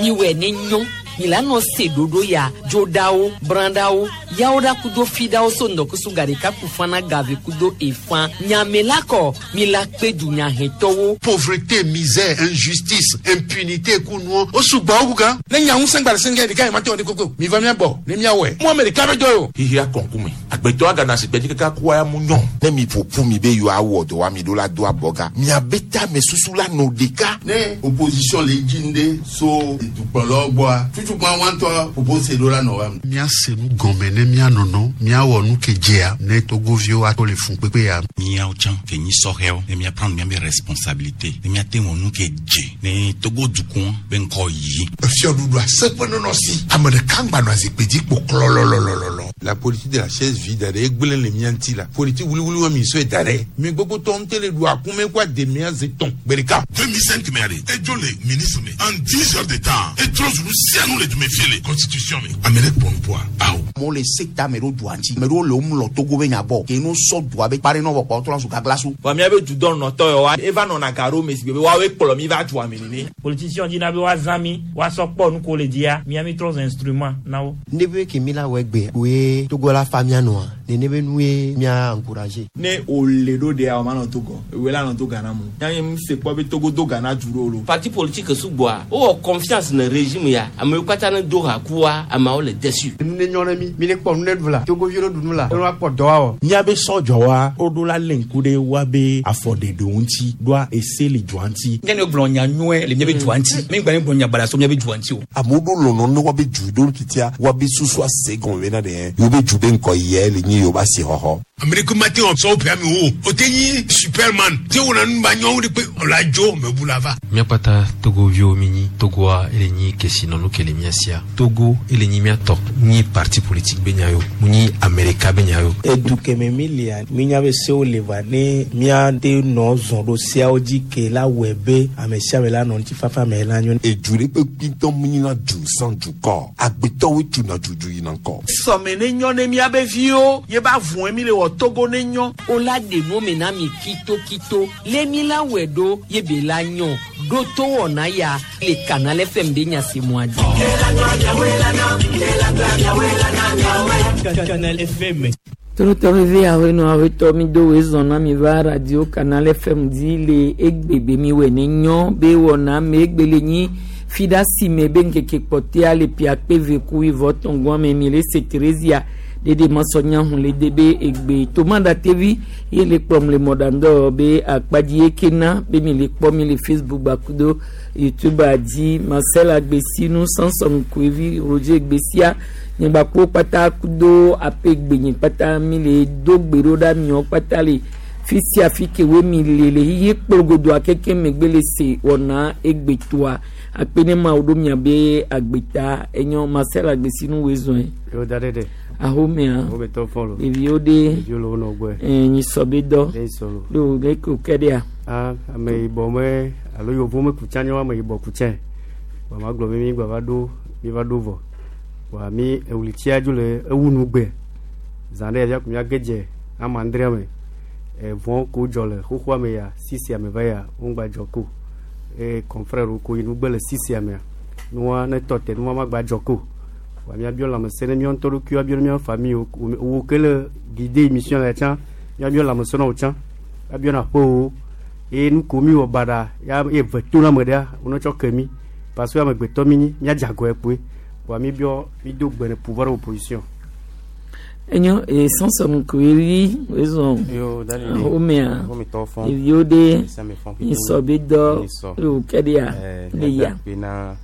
Miwɛ ne nyɔ milano se ɖoɖo ya dzoɖawo brãɖawo yawo ɖa kudo fiɖawo so ŋdɔkusu gaɖeka kufana gave kudo efã nyamela kɔ mila kpe dunyahetɔwo. Pauvreté, misère, injustice, impunité kunuɔ o sugbɔ wo kukan. Ne nya ŋusẽ gba le sɛngɛ ɖeka yi ma te wɔ ɖe koko mi va mia bɔ ne mia wɔe mo ame ɖeka be dɔ ye o. Xixia kɔnkume agbetɔ agana si gbedzi kaka kua ya mu nyɔ. Ne mi ƒoƒu mi be yewoawɔ dɔ wa mi ɖo la do abɔga miabe tame susu la nɔ ɖeka. Ne opposition le dzi ŋɖe so dukplɔlawo gbɔa tutukpa wa ŋutɔ ƒoƒo se ɖo la nɔ wa. Míase nu gɔme ne míanɔnɔ míawɔ nu ke dzea ne togoviwo ato le fun kpekpe ya. Míawo tsã ke nyi sɔhɛwo ne míaprendre míabe responsabilité ne míate wɔ nu ke dze ne Togo dukɔ be ŋkɔ yi. Efiɔɖuɖu aseƒe nɔnɔ si ame ɖeka ŋgba nɔ azikpui dzi kpo klɔlɔlɔlɔlɔ. La politique de la chaise vide ɖe egblẽ le mía ŋuti la politique wuliwuli wa mi sɔe da ɖe mi gbogbo tɔ ŋutɛ le ɖu akume kó ademea ze tɔn gbe ɖeka. 2005 mɛ de edzo le ministre me en 10 heures de temps etrɔ zulu sianu le dume fie le constitution me ame ɖe kpɔ nupoa awo. Amewo le se ta ame ɖewo dua ŋuti ame ɖewo le wo mlɔ Togo be nya gbɔ ke no sɔ dua be kpa ɖe nɔ vɔ kpɔ trɔ zu gaglasu. Vɔ míabe dudɔnɔtɔ yawoa eva nɔna ga ɖo me si gbe be woawoe kplɔ mi va dua me nene. Politicien dzina be woazã mi woasɔ kpɔ nu ko le dzia mía mi trɔ zu instrument na wo. Ne be ke mi la wɔ egbe koe Togo la fa mía nɔa nene be nue mía encourager. Ne wòle ɖo ɖea o ma nɔ Togo ewoe la nɔ to Ghana mu yanyi mu se kpɔ be Togo do Ghana du ɖo lo. Parti politique sugbɔa wowɔ confiance ne régime ya amewo katã ne do ha kua ameawo le déçu. Nu ne nyɔ ne mi mi ne kpɔ nu ne ɖu la Togoviwo ne ɖu nu la ne woakpɔ dɔ awɔ. Míabe sɔdzɔwa woɖo la lé ŋku ɖe woabe afɔɖeɖewo ŋuti ɖoa ese le dua ŋuti. Nye ne gblɔ nya nyuie le míabe dua ŋuti mi gba ne gblɔ nya baɖa so míabe dua ŋuti o. Amewo ɖo lɔlɔ ne woabe du ɖo titia woabe susu ase gɔme bena ɖe yewo be du be ŋkɔ yia le nyi yewo be asixɔxɔ. Ame ɖeke mate wɔ sɔwo ƒe ame wo o te nyi superman te wɔna nu ba nyɔnu ɖe kpe ɔla dzo mebu la va. Míakpata Togoviwo mi nyi Togoa ele nyi kesinɔnu ke le mía sia. Togo ele nyi míatɔ nyi parti politique be nya yo mu nyi Amerika be nya yo. Edu keme mi lia minya be sewo le va ne míate nɔ zɔn ɖo seawo dzi ke la wɔe be ame sia ame la nɔ ŋutifafa me la nyo. Edu ɖe kpekpe ŋutɔ mu nyina du sans dukɔ agbetɔwoe tuna dudu yina ŋkɔ. Sɔme ne nyɔ ne míabe viwo ye ba vɔe mi le wɔ Togo ne nyɔ. Wola ɖe nu me na mi kitokito le mi la wɔe ɖo ye be la nyɔ ɖo to wɔna ya le Canal FM be nya si mua dzi. Canal FM. Torotɔ veve awenɔ awetɔ mi do woe zɔn na mi va radio Canal FM dzi le egbe be mi wɔ ne nyɔ be wɔna me egbe le nyi fi ɖe si me be ŋkeke kpɔtɛa le pia kpe ve ku wivɔ tɔngɔn me mi le se Theresia ɖeɖe masɔnya hun le de be egbe tomada tevi ye le kplɔm le mɔɖaŋdɔ be akpadzi ye kena be mi le kpɔ mi le Facebook gbakudo YouTube dzi Marcel Agbesinu Samson Kuevi Roger Gbesia nyegbakpo kpata kudo ape gbenye kpata mi le do gbe ɖo ɖa miɔ kpata le fi sia fi ke wo mi le le xixe kplogodoa keke megbe le se wɔna egbetoa akpe ne ma wo ɖo miabe agbeta enyo Marcel Agbesinu woe zɔe. Yo da ɖe ɖe. Ahomea. Ahome tɔ fɔlɔ. Ɖeviwo ɖe. Ɖeviwo le wo nɔ gbɔe. Ɛɛ nyisɔ be dɔ. Ɖe nyisɔ lo. Ɖo ɖe ko ke ɖea. Ah ame yibɔ me alo yovo me kutsa nye ame yibɔ kutsɛ. Wa ma gblɔ be mi gba va ɖo mi va ɖo vɔ. Wa mi ewlitsia dzo le ewu nu gbe. Zã ɖe ya ko mia gedze ama andre me. Evɔ ko dzɔ le xoxoa me ya sisia me va ya wo ŋgba dzɔ ko. E confrère ko yi nugbe le sisia mea. Nua ne tɔ te nua ma gba dzɔ ko. Wa miabiɔ lãmesẽ ne míawo ŋutɔ ɖokuiwo abiɔ ne míaƒe famille wo ke le guider émission la tsã miabiɔ lãmesẽ na wo tsã abiɔ na aƒewo eye nu ko mi wɔ baɖa ya ye ve to na ame ɖea wonɔ tsɔ ke mi parce que amegbetɔ mi nyi míadze agɔe kpoe wa mi biɔ mi do gbe ne pouvoir opposition. Enyo e Samson Kuevi woe zɔn. Yo da ɖe ɖe. Ahomea. Ahome tɔ fɔn. Ɖeviwo ɖe. Ame sia ame fɔn. Nyisɔ be dɔ. Nyisɔ. Ɖo ke ɖea. Le ya. Míada na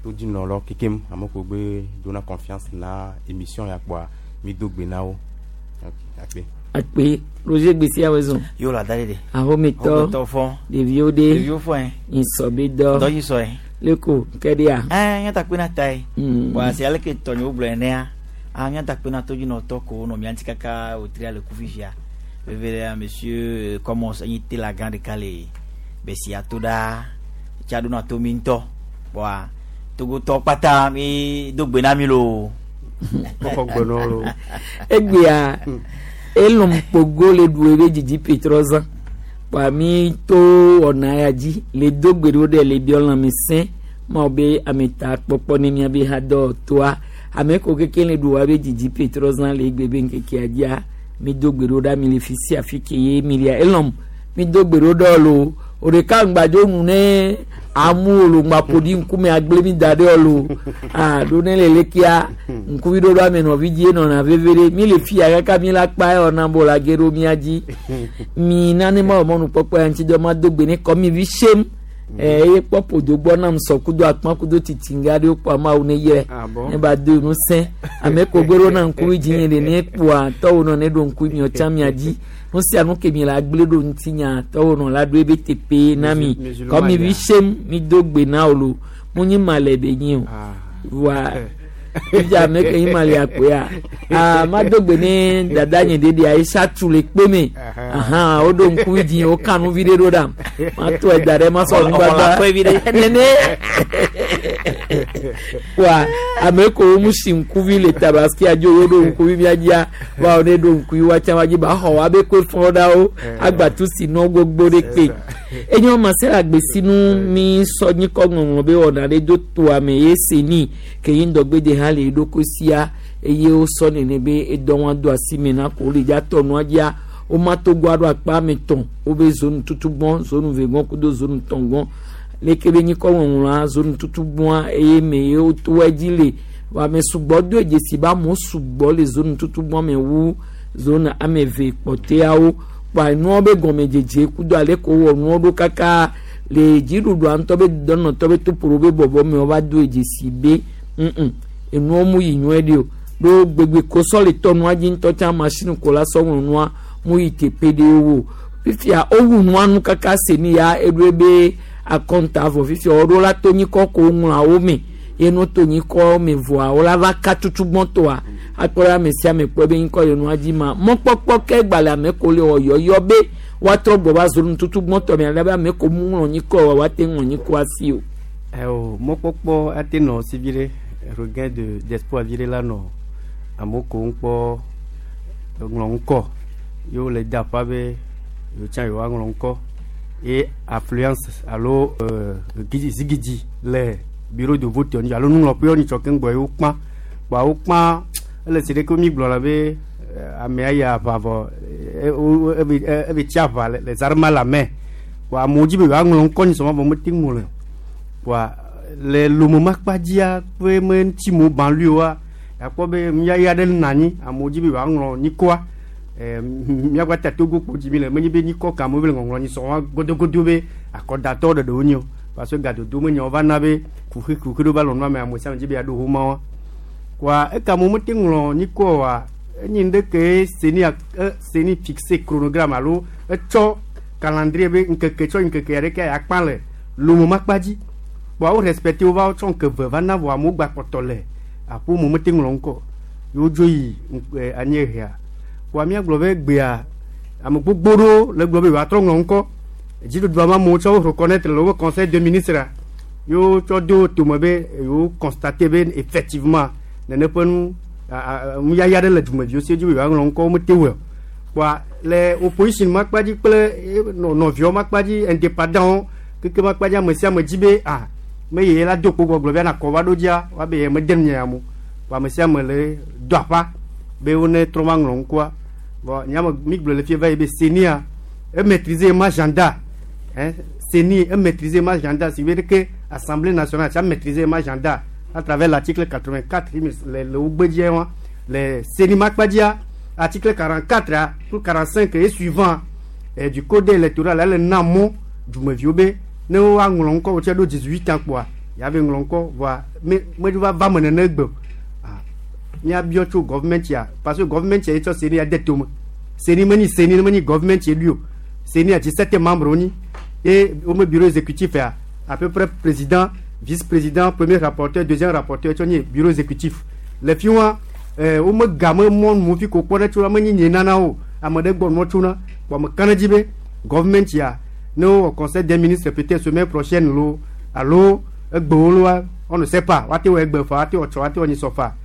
todzinɔlawo kekem ame ko gbe dona confiance na émission ya kpoa mi do gbe na wo. Ok, akpe. Akpe Roger Gbesia woe zɔn. Yo la da ɖe ɖe. Ahometɔ. Ahometɔ fɔn. Ɖeviwo ɖe. Ɖeviwo fɔn. Nyisɔ be dɔ. Dɔ nyisɔ ye. Leko ke ɖea. Ɛɛ míata kpe na ta ye. Wa si ale ke tɔnyewo gblɔ enea ah míata kpe na todzinɔtɔ ko nɔ mía ŋuti kaka wòtria le ku fifia. Veve ɖea monsieur Commons enyi tela gã ɖeka le Besia to ɖaa tsa ɖona to mi ŋutɔ. Bɔa Togotɔ kpata mi do gbe na mi loo. Xɔ gbe nɔ lo. Egbea elɔm kpogo le ɖu ebe dzidzi petrɔ zã. Kpoa mi to wɔna ya dzi le do gbe ɖo ɖe le biɔ lãmesẽ. Mawu be ameta kpɔkpɔ ne miabe hadɔ toa ame ko keke le ɖu wa be dzidzi petrɔ zã le egbe be ŋkekea dzia mi do gbe ɖo ɖa mi le fi sia fi ke ye mi lia elɔm mi do gbe ɖo ɖe lo o ɖeka ŋgbadzo nu ne amu lo ŋgba ƒo ɖi ŋkume agble mi da ɖe lo aa ɖo ne le lekea ŋkuvi ɖoɖo ame nɔvi dzi enɔna veve ɖe mi le fia kaka mi la kpa ewɔna bo la ge ɖo mia dzi mi nane ma wɔ mɔnukpɔkpɔ ya ŋuti dɔ ma do gbe ne kɔ mi vi sem eye kpɔ ƒodo gbɔ nam sɔ kudo akpã kudo titinga ɖewo kpɔ ameawo ne yɛ ne ba do ŋusẽ ame ko gbe ɖo na ŋkuvi dzi nye ɖe ne kpoa tɔwo nɔ ne ɖo ŋkuvi miɔ tsã mia dzi nu sia nu ke mi le agble ɖo ŋutinya tɔwo nɔ la ɖo ebe teƒe na mi kɔ mi vi sem mi do gbe na wo lo mu nyi ma le be nyi o voa fifia ame ke nyi ma le akpoea aa ma do gbe ne dada nye ɖeɖe ayisa tu le kpe me ahan woɖo ŋkuvi dzi woka nu vi ɖe ɖo ɖam ma to ɛda ɖe ma sɔ nugbagba nene wa ame ko wo mu si ŋkuvi le tabaski adzo wo ɖo ŋkuvi mia dzia wa wo ne ɖo ŋkuvi wa tsã wa dzi ba xɔ wa be koe fɔ ɖa wo agbatu si nɔ gbogbo ɖe kpe enye ma se la gbesinu mi sɔ nyikɔ ŋɔŋlɔ be wɔna ɖe do toa me ye se ni ke yi ŋdɔgbe de hã le eɖokui sia eye wosɔ nene be edɔ wa do asi me na ko le dza tɔ nua dzia woma togo aɖo akpa ame tɔn wobe zonu tutu gbɔn zonu ve gbɔn kudo zonu tɔn gbɔn leke be nyikɔ ŋɔŋlɔa zonu tutu gbɔn eye me ye woto edzi le ame sugbɔ do dzesi be amewo sugbɔ le zonu tutu gbɔn me wu zonu ame eve kpɔtɛawo kpa enuawo be gɔmedzedze kudo ale ko wɔ nuawo ɖo kaka le dziɖuɖua ŋutɔ be dɔnɔtɔ be toƒo be bɔbɔ me wova do dzesi be ŋŋ enuawo mu yi nyuie ɖi o ɖo gbegbe kosɔ le tɔ nua dzi ŋutɔ tsã masini ko la sɔ ŋlɔ nua mu yi teƒe ɖewo o fifia wowu nua nu kaka se ni ya eɖoe be akɔnta vɔ fifia woɖo la to nyikɔ ko ŋlɔawo me ye no to nyikɔ me vɔa wola va ka tutu gbɔntɔa akpɔ ɖe ame sia ame kpɔ be nyikɔ le nua dzi ma mɔkpɔkpɔ ke gbalẽ ame ko le wɔ yɔyɔ be woatrɔ gbɔ va zonu tutu gbɔntɔ me ale be ame ko mu ŋlɔ nyikɔ wa woate ŋlɔ nyikɔ asi o. Ɛwɔ mɔkpɔkpɔ ate nɔ si vi ɖe regain de d'espoir vi ɖe la nɔ amewo ko ŋkpɔ ŋlɔ ŋkɔ ye wole da aƒa be yewo tsã yewoaŋlɔ ŋkɔ ye affluence alo zigidi le bureau de vote ŋu alo nuŋlɔƒewo nyitsɔ keŋ gbɔ ye wokpã kpoa wokpã ele si ɖeke mi gblɔna be amea yi aʋa vɔ ebe tsi aʋa le zarma la me kpoa amewo dzi be yewoaŋlɔ ŋkɔ nyitsɔ ma vɔ mete ŋlɔe o kpoa le lomemakpa dzia ƒe me ŋutimewo banluiwoa akpɔ be nuyaya aɖe nɔ anyi amewo dzi be yewoaŋlɔ nyikɔa míaƒe ta Togo kpo dzi mi le menye be nyikɔ ka amewo be le ŋɔŋlɔ nyisɔ wa godogodo be akɔdatɔwo ɖeɖe wonye o parce que gadodo me nyawo va na be kuxi kuxi ɖo va lɔ nua me ame sia ame dzi be yeaɖo homa wa kpoa eka amewo mete ŋlɔ nyikɔ oa enye nu ɖe ke seni seni fixe chronogramme alo etsɔ calendrier be ŋkeke tsɔ ŋkeke aɖeke yakpa le lomemakpa dzi kpoa wo respecte wo va tsɔ ŋke ve va na vɔ amewo gba kpɔtɔ le aƒe me mete ŋlɔ ŋkɔ yewo dzo yi anyiehea kpoa míagblɔ be gbea ame gbogbo ɖewo le gblɔ be yewoatrɔ ŋlɔ ŋkɔ dziɖuɖua ma amewo tsɔ wo reconnaître le woƒe conseil de ministre yewo tsɔ do tome be yewo constate be effectivement nene ƒe nu nuyaya ɖe le dumeviwo si dzi be yewoaŋlɔ ŋkɔ womete wɔe o kpoa le opposition makpa dzi kple nɔviawo makpa dzi indépendant keke makpa dzi ame sia ame dzi be ah me ye la do kpo gbɔgblɔ be ana kɔ va ɖo dzia woabe ye mede nu nye ya mo kpoa ame sia ame le do aƒa be wone trɔ va ŋlɔ ŋkɔa bon nyame mi gblɔ le fie va yi be CENI e maîtriser ma agenda hein CENI e maîtriser ma agenda si veut dire que Assemblée nationale ça maîtriser ma agenda à travers l'article 84 le wogbe wa le CENI makpa dzia article 44 pour 45 et suivant et du code électoral elle na mɔ dumeviwo be ne woaŋlɔ ŋkɔ wotse ɖo 18 ans kpoa yave ŋlɔ ŋkɔ voa me me va va me nene gbe o míabiɔ tso government ya parce que government ya tsɔ CENI ya de tome CENI menyi CENI menyi government ye ɖui o CENI ya 17 membres wonyi ye wome bureau exécutif ya à peu près président vice président premier rapporteur deuxième rapporteur tsɔ nye bureau exécutif le fi wa wome game mɔnu fi ko kpɔ ɖe tso menyi nye nana o ame ɖe gbɔ nua tsona kpɔ ame ka ɖe dzi be government ya ne wowɔ conseil des ministres peut-être semaine prochaine lo alo egbewo loa on ne sait pas woate wɔ egbe fa woate wɔ tsɔ woate wɔ nyisɔ fa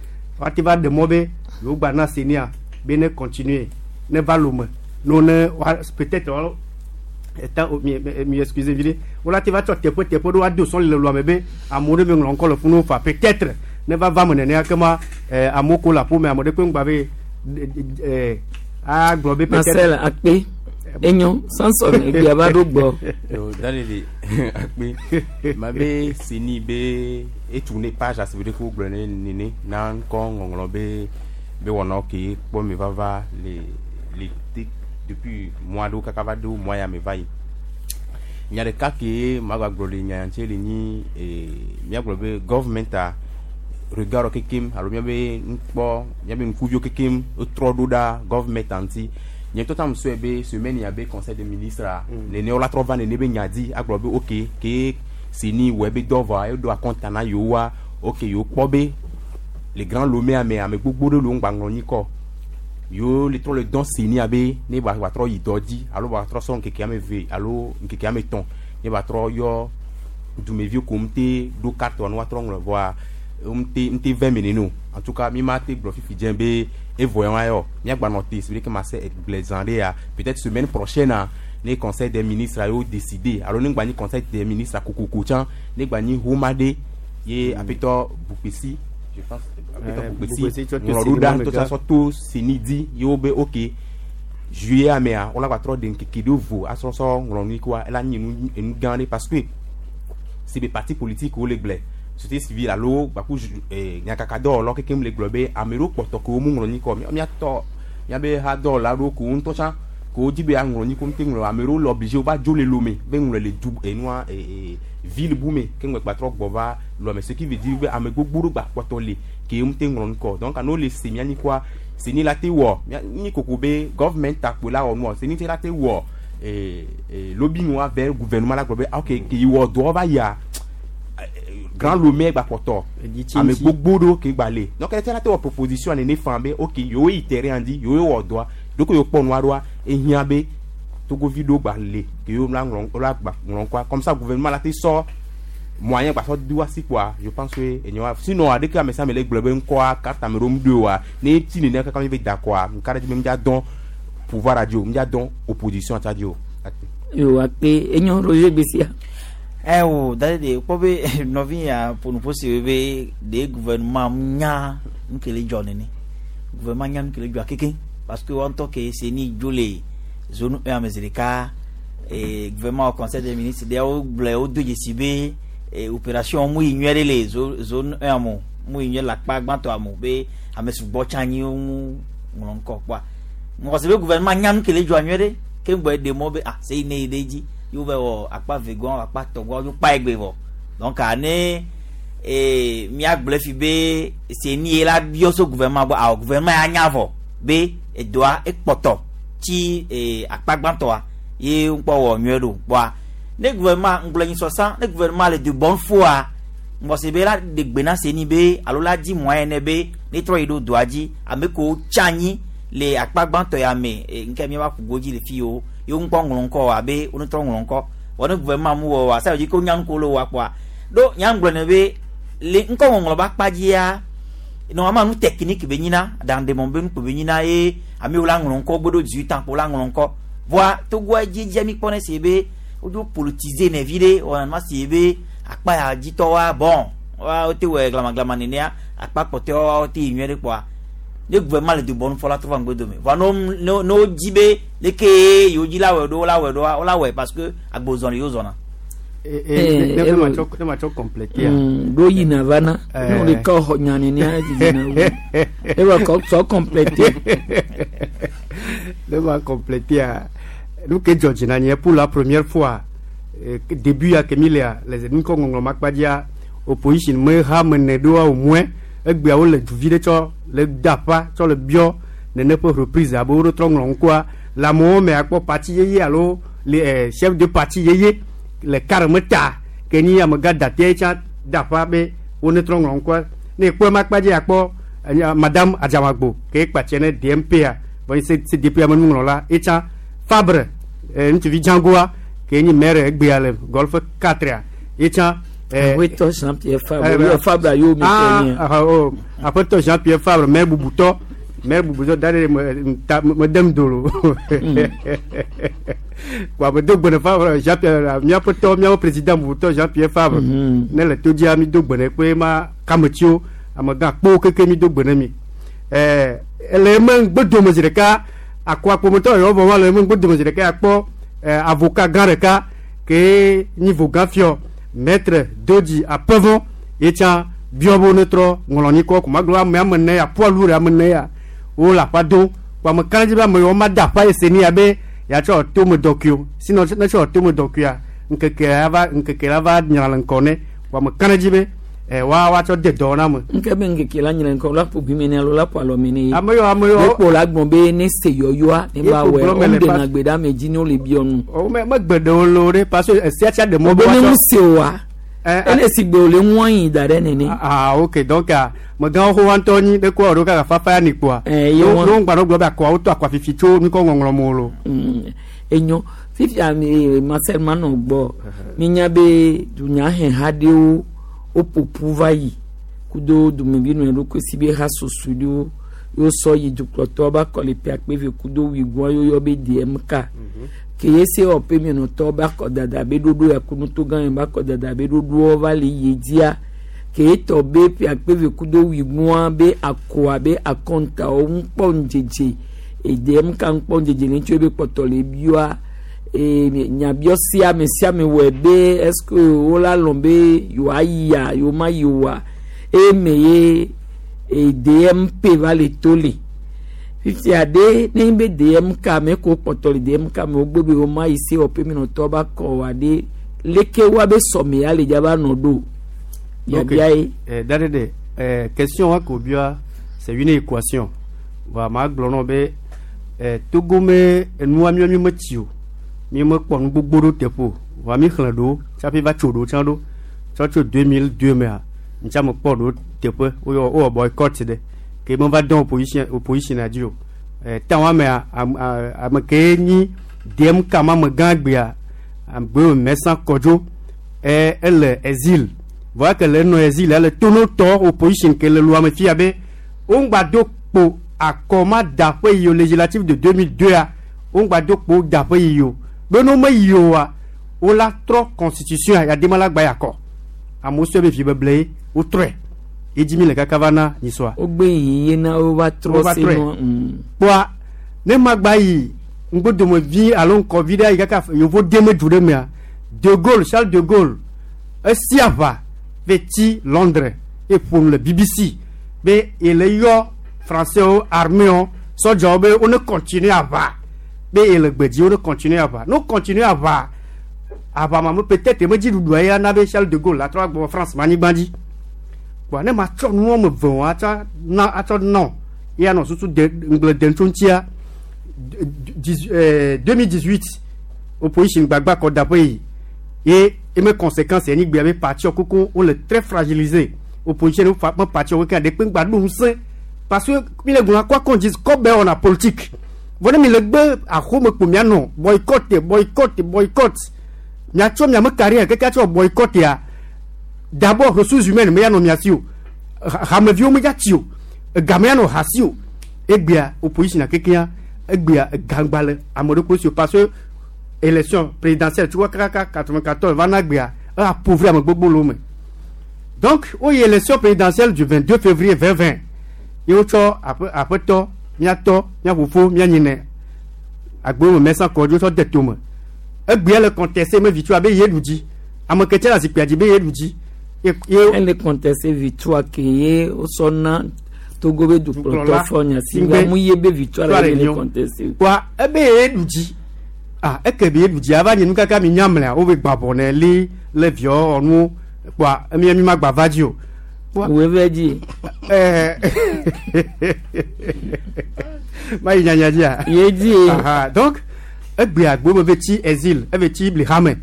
woate va ɖe mɔ be yewo gba na CENI be ne continuer ne va lome no ne wa peut-être Eta mi mi excuse vi ɖe wola te va tsɔ teƒe teƒe ɖo ado sɔli le lua me be amewo ɖe me ŋlɔ ŋkɔ le funu fa peut-être ne va va me nenea kema amewo ko le aƒo me ame ɖe kpe ŋgba be agblɔ be peut-être. Marcel akpe enyo Samson egbea va ɖo gbɔ. Yo, dalele akpe ma be seni be etourné page asi be ko gblɔ ne nene na ŋkɔ ŋɔŋlɔ be wɔna ke kpɔ me vava le te depuis mois ɖewo kaka va ɖo mois ya me va yi. Nya ɖeka ke ma gba gblɔ le nya ŋuti le nyi míagblɔ be government a regard kekem alo míabe nukpɔ míabe ŋkuviwo kekem wotrɔ ɖo ɖa government a ŋuti. Nye ŋutɔ tam sɔe be semaine ya be conseil des ministres a nene wola trɔ va nene be nya dzi agblɔ be ok ke seni wɔ ebe dɔ vɔa eɖo akɔnta na yewoa ok yewo kpɔ be le Grand Lomé ame ame gbogbo ɖe le wo ŋgba ŋlɔ nyikɔ yewo le trɔ le dɔn seni abe ne ba trɔ yi dɔ dzi alo ba trɔ sɔ ŋkeke ame eve alo ŋkeke ame etɔ̃ ne ba trɔ yɔ dumeviwo ko ŋute ɖo carte wa ne woatrɔ ŋlɔ vɔa ŋute ŋute vɛ me nene o. En tout cas mi ma te gblɔ fifi dze be evɔ ya wa yɔ míagba nɔ te si be ke ma se gblẽ zã ɖe ya peut-être semaine prochaine a ne conseil des ministres a yewo décider alo ne ŋgba nyi conseil des ministres kokoko tsã ne gba nyi homa ɖe ye aƒetɔ Bukpesi je pense aƒetɔ Bukpesi Bukpesi tsɔ to ŋlɔ ɖo CENI ɖa me ŋutɔ gã. tsɔ to CENI dzi ye wo be ok juillet amea wola gba trɔ ɖe ŋkeke ɖewo vo asɔ sɔ ŋlɔ nu koa ela nyi enu enu gã ɖe parce que c'est be parti politique wo le gblẽ société civile alo gbaku nyakakadɔwɔlawo kekem le gblɔ be ame ɖewo kpɔtɔ ke wo mu ŋlɔ nyikɔ míatɔ míabe hadɔwɔla ɖewo ko wo ŋutɔ tsã ko wo dzi be aŋlɔ nyikɔ ŋute ŋlɔ ame ɖewo le obligé wova dzo le Lomé be ŋlɔ le du enua ville bu me ke ŋgbe gba trɔ gbɔ va Lomé ce qui veut dire be ame gbogbo ɖewo gba kpɔtɔ le ke ŋute ŋlɔ ŋkɔ donc ane wo le se mía nyikɔa CENI la te wɔ mía nyi koko be government takpo la wɔ nua CENI tse la te wɔ lobbying wa vers gouvernement la gblɔ be ah, ok ke yi wɔ dɔ va yia Grand Lomé gba kpɔtɔ ame gbogbo ɖewo ke gba le donc ete la te wɔ proposition nene fan be ok yewo yi terrain dzi yewo wɔ dɔa ɖoko yewo kpɔ nua ɖoa ehiã be togovi ɖewo gba le ke yewo la ŋlɔ la gba ŋlɔ ŋkɔa comme ça gouvernement la te sɔ moyen gba sɔ do asi kpoa je pense que enye wa sinon aɖeke ame sia ame le gblɔ be ŋkɔa carte ame ɖewo ŋu ɖoe oa ne ti nene kaka mi be da kɔa ŋka ɖe dzi be mi dza dɔn pouvoir dzi o mi dza dɔn opposition tsa dzi o. Yo akpe enyo Roger Gbessia. Ɛ o da de kpɔ be nɔvi ya ƒonuƒo si be de gouvernement nya nu ke le dzɔ nene gouvernement nya nu ke le dzɔa keke parce que wɔn ŋutɔ ke CENI dzo le zone 1 ame zi ɖeka gouvernement conseil des ministres ɖewo gblɔe wodo dzesi be opération mu yi nyuie ɖe le zone 1 mo mu yi nyuie le akpa gbãtɔa mo be ame sugbɔ tsã anyi wo ŋu ŋlɔ ŋkɔ kpɔa ŋgɔsi be gouvernement nya nu ke le dzɔa nyuie ɖe ke ŋgbɔ ɖe mɔ be ah seyi ne yi ɖe dzi yewo va wɔ akpa ve gɔn akpa tɔ gɔn yewo kpa egbe vɔ donc ane míagblɔe fi be CENI ye la biɔ so gouvernement gbɔ awɔ gouvernement ya nya vɔ be edɔa ekpɔtɔ tsi akpa gbãtɔa ye ŋkpɔ wɔ nyuie ɖo kpɔa ne gouvernement ŋgblɔ nyi sɔsã ne gouvernement le de bonne foi ŋgɔsi be la ɖe gbe na CENI be alo la di moyen ne be ne trɔ yi ɖo dɔa dzi ame kewo tsi anyi le akpa gbãtɔ ya me nke míava ƒu godzi le fi yiwo yewo ŋkpɔ ŋlɔ ŋkɔ abe wo ŋutɔ ŋlɔ ŋkɔ vɔ ne gouvernement mu wɔ wa sa dzi ko nya ŋko le wa kpɔa ɖo nya ŋgblɔ ne be le ŋkɔ ŋɔŋlɔ be akpa dzia normalement nu technique be nyina aɖaŋudemɔ be nukpo be nyina ye amewo la ŋlɔ ŋkɔ gbe ɖo 18 ans kpo la ŋlɔ ŋkɔ voa togoa dzedzia mi kpɔ ne si be wodzo politiser ne vi ɖe wɔna si be akpa ya dzitɔwoa bon wa wote wɔ glamaglama nenea akpa kpɔtɔewoa wote yi nyuie ɖe kpɔa ne gouvernement le de bonne foi la trɔ va ŋgbe dome voa ne wodzi be leke yewo dzi la wɔe ɖo la wɔe ɖoa wola wɔe parce que agbozɔli yewo zɔna. Ne ma tsɔ compléter ya. Ɖo yina va na ne wo ɖeka xɔ nya nenea dzidzi wu ewɔ kɔ sɔ compléter. Ne ma compléter ya nu ke dzɔ dzi na nye pour la première fois début ya ke mi lea le ŋkɔ ŋɔŋlɔ ma kpa dzia opposition me ha me ne ɖoa au moins egbea wo le duvi ɖe tsɔ le da aƒa tsɔ le biɔ nene ƒe reprise abe wo ɖo trɔ ŋlɔ ŋkɔa le amewo me akpɔ parti yeye alo le chef de parti yeye le kare me ta ke nyi amegã datea tsã da aƒa be wo ne trɔ ŋlɔ ŋkɔa ne ekpɔ ema kpa dzi akpɔ madame Adzamagbo ke kpatse ne DMP a vɔ CDP ame nuŋlɔla etsã Fabre ŋutsuvi Djangoa ke nyi maire egbea le Golfe 4 a etsã. Maire Bubuzɔ da ɖe me ta me dem do lo. Wa me do gbe ne Favre Jean Pierre míaƒe tɔ míaƒe président bubutɔ Jean Pierre Favre. Ne le to dzia mi do gbe ne kpe ma kametsiwo amegã kpowo keke mi do gbe ne mi. Ɛɛ ele eme ŋgbedome zi ɖeka akɔ akpometɔ yɔ vɔ wa le eme ŋgbedome zi ɖeka akpɔ ɛɛ avocat gã ɖeka ke nyi vogã fiɔ maître Dodzi Apevɔ ye tsã biɔ be wo ne trɔ ŋlɔ nyikɔ ko magblɔ ame ame ne ya poids lourd ame ne ya wo le aƒa dom ko ame ka ɖe dzi be ame yiwo ma de aƒa ye se ni ya be yatsɔ tome dɔkuiwo sinon ne tsɔ tome dɔkuia ŋkeke ya va ŋkeke la va nyra le ŋkɔ ne ko ame ka ɖe dzi be ɛ wa woatsɔ de dɔ na me. Nke be ŋkeke la nyra ŋkɔ la ƒo gbi me ne alo la ƒo alɔ me ne ye. Ame yiwo ame yiwo. Wokpo la gbɔn be ne se yɔyɔa ne ba Ye wɔ kpo gblɔ me wɔm le ɖe pas- na gbe ɖe ame dzi ne wole biɔ nu. O me megbe ɖewo lo ɖe parce que esia tsa ɖe mɔ Be ne woatsɔ- ŋu se oa ele si gbe wòle ŋua yi da ɖe nene. Ah ok donc ah, megãwo xɔ wa ŋutɔ nyi ɖe koa ɖo kaka fafa ya ni kpoa. Eh, ye wa- No ŋgba ɖo gblɔ be akɔawo to akɔa fifi tso nukɔ ŋɔŋlɔ mo lo. Enyo fifia mi Marcel manɔ gbɔ minya be dunyaheha ɖewo woƒoƒu va yi kudo dumevi nɔ eɖokui si be ha susu ɖewo yewo sɔ yi dukplɔtɔwo ba kɔ le ƒe akpe eve kudo wuigoa yewo yɔ be DMK ke ye se wɔ ƒe mienɔtɔwo ba kɔ dada be ɖoɖo ya kunuto gã yi ba kɔ dada be ɖoɖowo va le yi dzia ke etɔ be ƒe akpe eve kudo wuigoa be akɔa be akɔntawo ŋukpɔ ŋdzedze EDMK ŋukpɔ ŋdzedze le ŋutsu be kpɔtɔ le bioa ee nyabiɔ sia ame sia ame wɔe be est ce que wola lɔn be yewoayia yewoma yi oa eme ye DMP va le to le fifia ɖe ne be DMK me ko kpɔtɔ le DMK me wogbe be woma yi se wɔƒe minɔtɔ ba kɔ wa ɖe leke wa be sɔme ya le dza va nɔ ɖo biabia ye. Eh, dade de eh, question wa ko bia c'est une équation. Va ma gblɔ nɔ be eh, Togo me enua mi mi metsi o. Mi me kpɔ nu gbogbo ɖo teƒe o. Va mi xlẽ ɖo tsaƒe va tso ɖo tsã ɖo. Tsɔ tso 2002 mea ŋtsa me kpɔ ɖo teƒe woyɔ wowɔ boycott ɖe ke me va dɔn opposition opposition dzi o. Eh, tan wa mea am, a, ame ke nyi DMK ma me gã gbea agbe Mɛsan Kɔdzo eh, ele exil voa ke le nɔ exil ele tonotɔ opposition ke le lua me fia be wo ŋgba do kpo akɔ ma da ƒe yi o législative de 2002 a wo ŋgba do kpo da ƒe yi o be no me yi o wa wo la trɔ constitution a yadema la gba yakɔ amewo sɔ be vi beble ye wotrɔe edzi mi le kaka va na nyisɔa. wogbe yi ye na wo va trɔ Wo va se trɔe. nua. Kpoa ne ma gba yi ŋgbodomevi alo ŋkɔvi ɖe yi kaka yevo deme du ɖe mea de Gaulle Charles de Gaulle esi aʋa ve tsi Londres eƒo nu le BBC be ele yɔ français wo armée wo sɔdzawo be wo ne continue aʋa be ele gbedzi wo ne continue aʋa ne wo continue aʋa aʋa ma me peut-être me dziɖuɖua ya na be Charles de Gaulle la trɔ agbɔ France ma anyigba dzi kpoa ne ma tsɔ nu wɔme eve wɔn atsɔ na atsɔ nɔ ya nɔ susu de ŋgble dem tso ŋutia 2018 opposition gbagba kɔ da ƒe yi ye eme conséquence yɛ gbea be parti koko wole très fragilisé opposition fa me parti wo kea ɖekpe ŋgba ɖo ŋusẽ parce que mi le gblɔ quoi qu'on dise kɔ bɛ wɔna politique vɔ ne mi le gbe axome kpo mianɔ boycott boycott boycott miatsɔ miame carrière keke atsɔ boycott ya d'abord ressources humaines me ya nɔ mia si o hameviwo me dza tsi o egame ya nɔ ha si o egbea opposition kekea egbea egangba le ame ɖokui si o parce que élection présidentielle tso kaka 94 va na gbea e appauvrir ame gbogbo le wo me donc woyi élection présidentielle du 22 février 2020 ye wotsɔ aƒe aƒetɔ miatɔ miafofo mianyinɛ agbewo me Mɛsan Kɔdzo tsɔ de tome egbea le contesté me victoire be ye ɖu dzi ame ke tse le zikpuia dzi be ye ɖu dzi ye ye ele contesté victoire ke ye wosɔ na Togo be dukplɔtɔ Dukplɔla. fɔ nya si Ŋgbe. amu ye be victoire la Victoire ye le nyo. contesté. Kpoa ebe ye ɖu dzi ah eke be ye ɖu dzi ava nye nu kaka mi nyamlea wo be gbabɔ ne li le viɔ ɔnuwo kpoa emi mi ma gba va dzi o. Wo ve dzi. Ɛɛ ma yi nyanya dzia. Ye dzi. Aha donc egbea agbo me ve tsi exil eve tsi blihame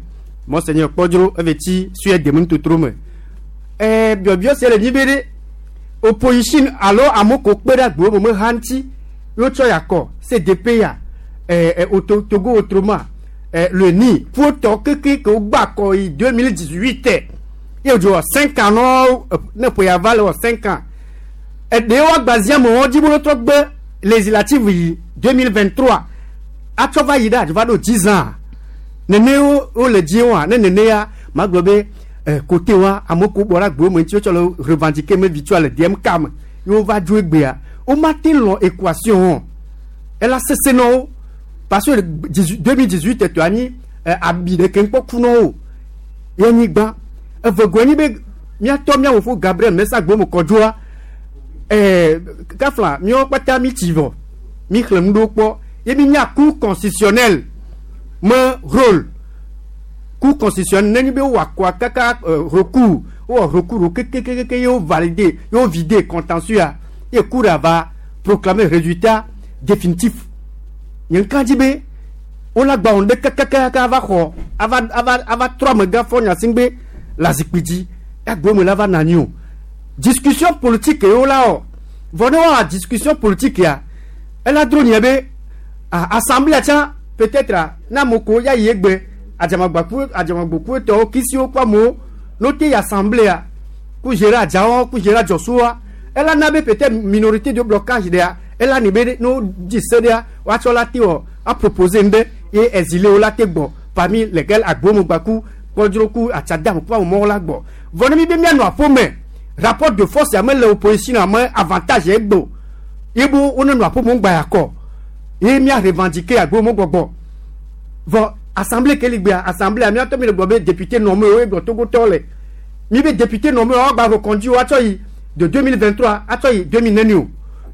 monseigneur Kpɔdzro eve tsi Suède me nutotro me ɛɛ biɔbiɔ sia le nyi be ɖe opposition alo amewo ko kpe ɖe agbo me me ha ŋuti wotsɔ yakɔ CDP ya ɛɛ ɛ Togo autrement ɛɛ le ni ƒotɔ keke ke wogba akɔ yi 2018 ye wòdzo wɔ 5 ans nɔ ne ƒe ya va le wɔ 5 ans eɖewo agbazia me wɔn dzi be wotrɔ gbe Législative yi 2023 atsɔ va yi ɖe adzɔ va ɖo 10 ans nene wo le dzi wa ne nene ya magblɔ be côté wa ame ko bɔ ɖe agbewo me ŋuti wotsɔ le revendiquer me victoire le DMK me ye wova dzo egbea woma te lɔ équation wɔn ela sese na wo parce que 2018 tɔ anyi abi ɖeke ŋkpɔ ku na wo ye nyi gbã evegoe nyi be míatɔ míawò fo Gabriel Mesa Gbome Kɔdzoa kafla míawo kpata mi tsi vɔ mi xlẽ nu ɖewo kpɔ ye mi nya Cour constitutionnelle me rôle. Cour constitutionnelle nenye be wowɔ akɔa kaka recours wowɔ recours ɖo kekekeke ye wo valider ye wo vider contentieux ya ye cour va proclamer résultat définitif. Nye ŋka dzi be wola gba wɔn ɖe kakakaka ava xɔ ava trɔ amegã fɔ Gnassingbé le azikpui dzi agbe me la va na anyi o. Discussion politique yewo la wɔ vɔ ne wɔa discussion politique ya ela dro nye be assemblée tsã peut-être na ame ko ya yi egbe adzamagbaku adzamagboku etɔwo kisiwo kple amewo no te yi assemblée ku gérer adzawo ku gérer adzɔsuwoa ela na be peut-être minorité de blocage ɖea ela ni be no dzi se ɖea woatsɔ la te wɔ a proposer ŋɖe ye exilé la te gbɔ parmi lesquels agbomegbaku kpɔdzro ku atsadam kple amewo la gbɔ. Vɔ ne mi be mianɔ aƒome rapport de force ya mele opposition ame avantage egbo ye bo wone nɔ aƒome ŋgba ya kɔ ye mia revendiquer agbome gbɔgbɔ. Vɔ assemblée ke li gbea assemblée miatɔ mi le gblɔ be député nommé wo egblɔ Togotɔwo le mi be député nommé wo agba reconduit wo atsɔ yi de 2023 atsɔ yi 2009 o.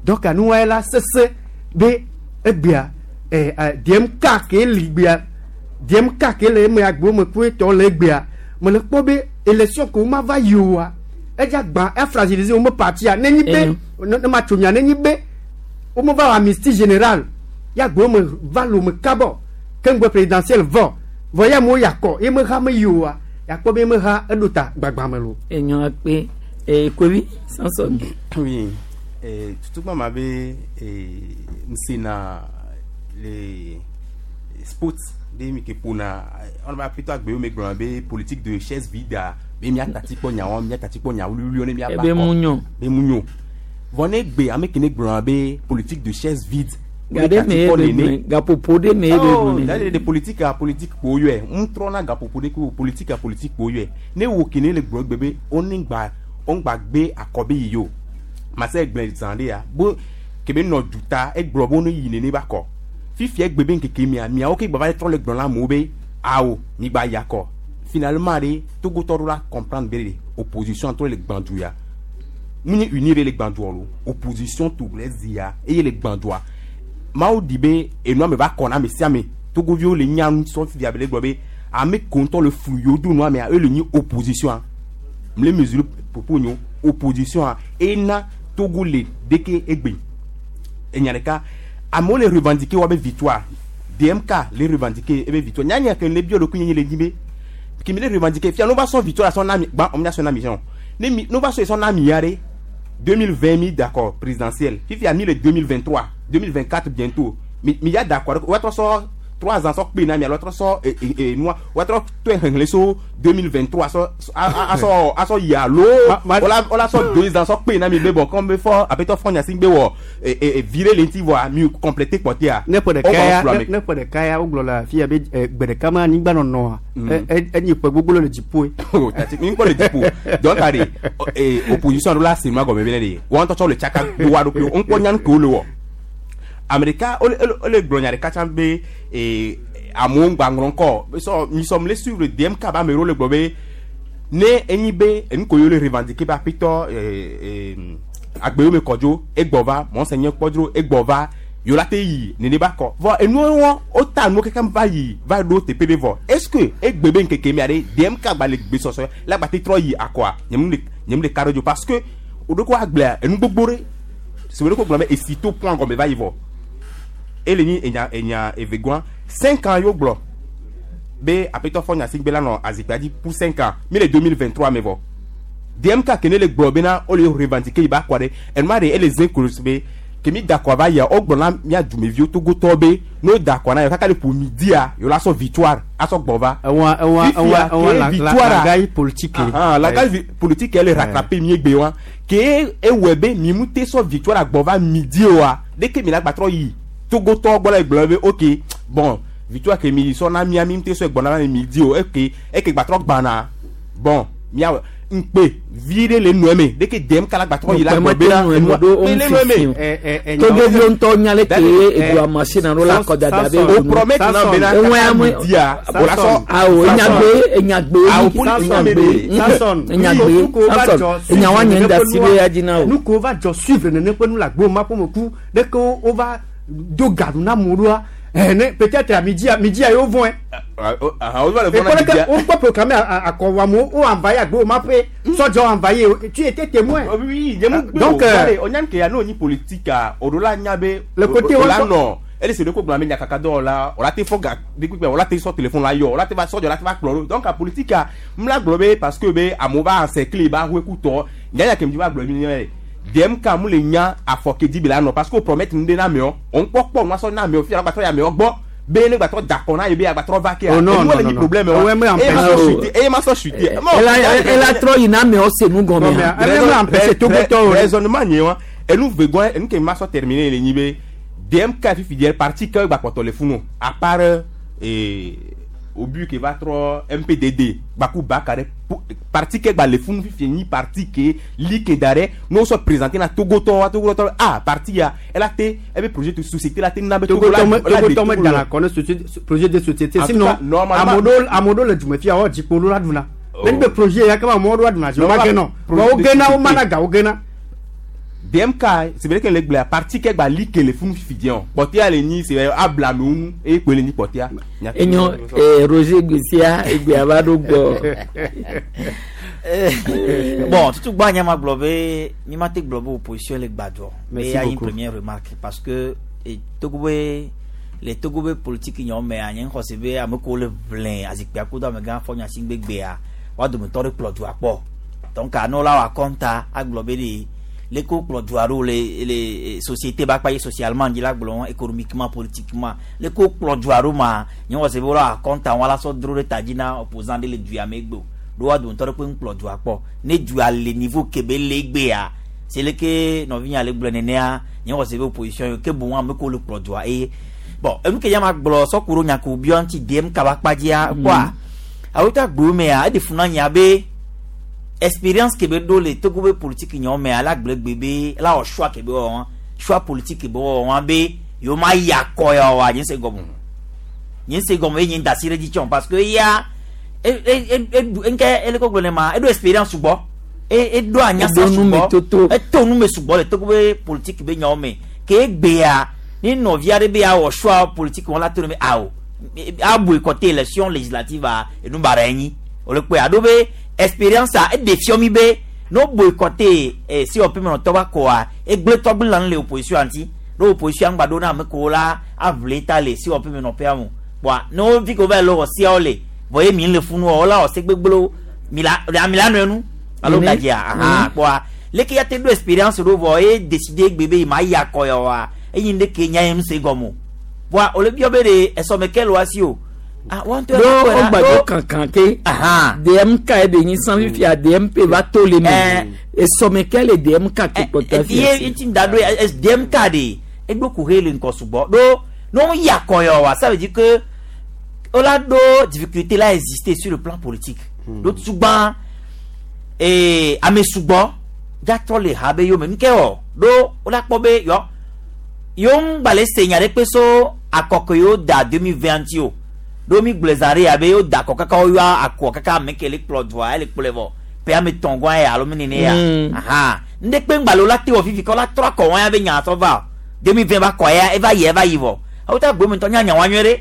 Donc anuwa ye la sese be egbea DMK ke li gbea DMK ke le eme agbome ku etɔ le egbea mele kpɔ be élection ko ma va yi oa edza gbã efragiliser wo me partia nenyi be ne ma tso nya nenyi be wo me va wɔ amnistie générale ya agbome va lo me kabɔ ke ŋgbe présidentielle vɔ vɔ ya mo yakɔ ye me ha me yi oa yakpɔ be me ha eɖo ta gbagbã me lo. Enyo akpe kovi Samson. Oui, tutugba ma be nsena le sports de mi ke ƒona ɔna ba plutôt agbewo me gblɔna be politique de chaise vide a be miatati kpɔ nyawo miatati kpɔ nya wuliwuliwo ne miaba. Ebe mu nyo. Be mu nyo vɔ ne gbe ame ke ne gblɔna be politique de chaise vide. Ga ɖe me ye be gblɔe gaƒoƒo ɖe me ye be Oh, gblɔe. da de politique a politique kpo yɔe ŋtrɔna gaƒoƒo ɖe ko politique a politique kpo yɔe ne wo ke ne le gblɔ gbe be wone gba wongba gbe akɔ be yi o mase gblẽ zã ɖe ya bo kebe nɔ duta egblɔ be wone yi nene ba kɔ fifia egbe be ŋkeke mia miawo ke gba va trɔ le gblɔ na amewo be awo mi gba yi akɔ. Finalement ɖe Togotɔ ɖo la comprendre be de opposition trɔ le gbãdu ya mu nye unir le gbãdua lo opposition togolaise ya eye le gbãdua mawu di be enua me va kɔ na ame sia ame. Togoviwo le nya nu sɔ fifia be le gblɔ be ame ko ŋutɔ le flu yewo do nua mea eye le nyi opposition a mle mesure popo nyo opposition a ena Togo le deke egbe enya ɖeka amewo le revendiquer wa be victoire DMK le revendiquer ebe victoire nyanya ke le bio ɖokui nye le dzi be kemi le revendiquer fia no va sɔ victoire sɔ na mi gbã ɔmu sɔ na mi sɔn ne mi no va sɔ sɔ na mi ya ɖe 2020 mi d'accord présidentielle fifia mi le 2023 2024 bientôt mi mi ya d'accord wa trɔ sɔ 3 ans sɔ kpe na mi alo trɔ sɔ e e e nua wa trɔ tɔe xexlẽ so 2023 sɔ a asɔ yi alo wala sɔ 2 ans sɔ kpe na mi be bon comme be fɔ apetɔ fɔ Gnassingbé wɔ e e e virer le ŋuti vɔa mi compléter kpɔtɛa. Ne ƒe ɖeka ya ne ƒe ɖeka ya wogblɔ le afi ya be gbe ɖeka ma anyigba nɔnɔa enyi ƒe gbogbo le dziƒoe. O tati mi kpɔ le dziƒo donc are opposition ɖo la se nua gɔme be ne de wɔn ŋutɔ tsɔ le tsaka do wa ɖokuiwo ŋkpɔ nyanu ke wo le wɔ ame ɖeka wole gblɔ nya ɖeka tsã be amewo ŋgba ŋlɔ ŋkɔ sɔ mi sɔ mi le suivre DMK be ame ɖewo le gblɔ be ne enyi be enu ko yewo le revendiquer be aƒetɔ agbewo me kɔdzo egbɔ va monseigneur kpɔdzro egbɔ va yewo la te yi nene ba kɔ vɔ enuwo wɔn wota nuwo kekem va yi va ɖo teƒe ɖe vɔ est ce que egbe be ŋkeke mea ɖe DMK gba le gbesɔsɔ la gba te trɔ yi akɔa nyemu le ka ɖe dzo parce que woɖo ko agblea enu gbogbo ɖe si woɖo ko gblɔ be esi to pɔn gɔme va yi vɔ ele nyi enya enya evegɔa 5 ans yewo gblɔ be aƒetɔ fɔ Gnassingbé la nɔ azikpea dzi pour 5 ans mi le 2023 me vɔ DMK ke ne le gblɔ bena wole revendiquer yi ba kɔ ɖe enua ɖe ele ze kolo be Ke mi da akɔ va yia, wogblɔ na mía dumeviwo Togotɔwo be ne woda akɔ na yewo kaka le ƒo midia, yewo la sɔ victoire asɔ gbɔ va. Ewa ewa Fifia, ewa ewa ke la la victoire a- langage politique. Ahan, langage politique ele rattraper mi egbe wa. Ke ewɔe be mi mu te sɔ victoire agbɔ va midi oa, ɖeke mi la gbatrɔ yi Togotɔwo gbɔ la gblɔ be ok, bon, victoire ke mi sɔ na mia, mi mu te sɔ gbɔ na mi midi o, eke eke gbatrɔ gbana. Bon, mia ŋkpe vi ɖe le nɔe me, ɖeke dem kala gbatrɔ yi la gbɔ be na enua pe le nɔe me. Togoviwo ŋutɔ nya le ke eɖua machine alo la kɔdada be O promet na be na Eŋue kaka ame- midia, o la sɔ. Awo enyagbe enyagbe Awo politique me de. Samson enyagbe Samson enyawa nye ŋda si be ya dzi na o. Nu ko va dzɔ suivre nene ƒe nu le agbo ma ƒe me ku ɖeke wo va do gaɖu na amewo ɖoa eh, ne peut-être amidzia midzia yewo vɔe. Ahan, o va le vɔn na Ekpɔ midia. ɖeke wokpɔ proclamer akɔwɔamewo wo envahi agbo ma ƒe sɔdzɔ envahi tu étais témoin. Oui, ye mu gbe Donc, o. Wale, onyan ke ya no nyi politique a, o do la nya be Le côté o la wa- nɔ ele se de ko gblɔ ame nyakaka dɔ la, o la te fɔ ga de kpekpe, o la te sɔ téléphone la yɔ, o la te va sɔdzɔ, o la te va kplɔ ɖo. Donc a politique a, m la gblɔ be parce que be amewo va encercler ba hoe kutɔ, nyanya ke mi va gblɔ mi nye DMK mu le nya afɔ ke dzi be la nɔ parce que o promettre nu ɖe na amewo, o ŋkpɔ kpɔ nua sɔ na amewo fia agbatrɔ yi amewo gbɔ be ne gbatrɔ da kɔ na ye be agbatrɔ va kea. Oh, non, Enuwo non, le non, nyi non. problème wa. Ouais, mais Eye ma sɔ empêche- chuter, eye ma sɔ chuter. Bon, Ela trɔ yina amewo se nu gɔmea. Raisonnement nye wa enu vegoa enu ke ma sɔ terminer le nyi be DMK fifi diɛ parti ke gba kpɔtɔ le funu à part au but ke va trɔ MPDD gbaku baka ɖe parti ke gba le funu fifi nyi parti ke li ke da ɖe n'o sɔ présenter na Togotɔ wa Togotɔ ah parti ya ela te ebe projet de société la te na be Togo la Togotɔ la de me Togo dana la. kɔ ne projet de société En tout sinon cas, normalement- amewo ɖewo le dume fia woa dzikpo ɖo la ɖuna. Oh. Ne be projet ya kama amewo ɖo la ɖuna dzi wo ma gena o. Projet Wo de gena wo société. mana ga wo gena. DMK c'est vrai que le gblea parti ke gba li ke le funu fifi diɛ o kpɔtɛa le nyi c'est abla amewo ŋu eye kpoe le nyi kpɔtɛa. Enyo Roger Gbesia egbea va ɖo gbɔ. Bon, tutu gba nya ma gblɔ be mi ma te gblɔ be opposition le gbadzɔ. Merci Be ya yi beaucoup. première remarque parce que e Togo be le Togo be politique nyawo mea nye xɔ se be ame kewo le ʋlẽ azikpuia kudo amegã fɔ nya si gbegbea woa dometɔ ɖe kplɔ dua kpɔ. Donc anɔ la wɔ akɔnta agblɔ be de leke wokplɔ dua ɖo le société ba kpa ye socialement dzi la gblɔ économiquement, politiquement, leke wokplɔ dua ɖo ma nye xɔ se be wola wɔ akɔnta wɔn la sɔ dro ɖe ta dzi na opposant ɖe le dua me gbe o. Ɖo woa dometɔ ɖe kpe ŋkplɔ dua kpɔ ne dua le niveau ke be le egbea c'est le ke nɔvinya le gblɔ nenea nye xɔ se be opposition yi ke boŋ ame kewo le kplɔ dua eye bon enu ke ya ma gblɔ sɔku ɖo nya ko biɔ ŋuti DMK ba kpa dzia kpɔa awota gbewo mea eɖe funu na nya be expérience ke be ɖo le Togo be politique nyawo mea la gblɔ gbe be la wɔ choix ke be wɔ wɔn choix politique ke be wɔ wɔn be yewo ma yi akɔ ya wa nye se gɔme nye se gɔme ye nye da si ɖe dzi tsɔm parce que eya e e e e nke ele ko gblɔ ne ma eɖo expérience sugbɔ e eɖo anyasa Eɖo nume sugbɔ toto. eto nume sugbɔ le Togo be politique be nyawo me ke egbea ni nɔvi aɖe be awɔ choix politique wɔn la to ne be awo abu côté élection législative a enu bara enyi o le kpɔe aɖo be expérience a eɖe fiɔ mi be no boycotté COP me nɔtɔ ba kɔa egble tɔgbi lan le opposition ŋuti ɖo opposition ŋgba ɖo na ame kewo la aʋli ta le COP me nɔƒea mo bɔn ne wo vi ko va yi le wɔ siawo le vɔ ye mi le funu wɔ wola wɔ se gbegblẽwo mi la mi la nɔe nu alo gadzia ahan kpɔa leke ya te ɖo expérience ɖo vɔ ye décider gbe be ma yi akɔ ya wa eyi ŋɖe nya ye ŋu se gɔme o bɔn o le biɔ be de esɔme ke le wa si o ah wɔn tɔ ɖo wogbadzɔ kankan ke DMK ye be nyi san fifia DMP va to le me esɔme ke le DMK ke kpɔtɔ fia si. Ye ti da ɖo DMK de eɖo kuxe le ŋkɔ sugbɔ ɖo ne wo yi akɔ ya wa ça veut dire que wola ɖo difficulté la exister sur le plan politique ɖo tugba ee ame sugbɔ gatrɔ le ha be yome nuke wɔ ɖo wola kpɔ be yɔ yewo ŋgba se nya ɖe kpe so akɔkɔ yewo da 2020 ŋuti o ɖo mi gblɔe zã ɖe abe yewo da akɔ kaka woyɔ akɔ kaka ame ke le kplɔ dua ele kplɔe vɔ pe ame tɔn gɔn ya alo mi nene ya aha ŋɖe kpe ŋgba le wola te wɔ fifi kɔ la trɔ akɔ wɔn ya be nya sɔ va o 2020 ba kɔ ya eva yi eva yi vɔ awo ta gbe me ŋutɔ nya nya wa nyuie ɖe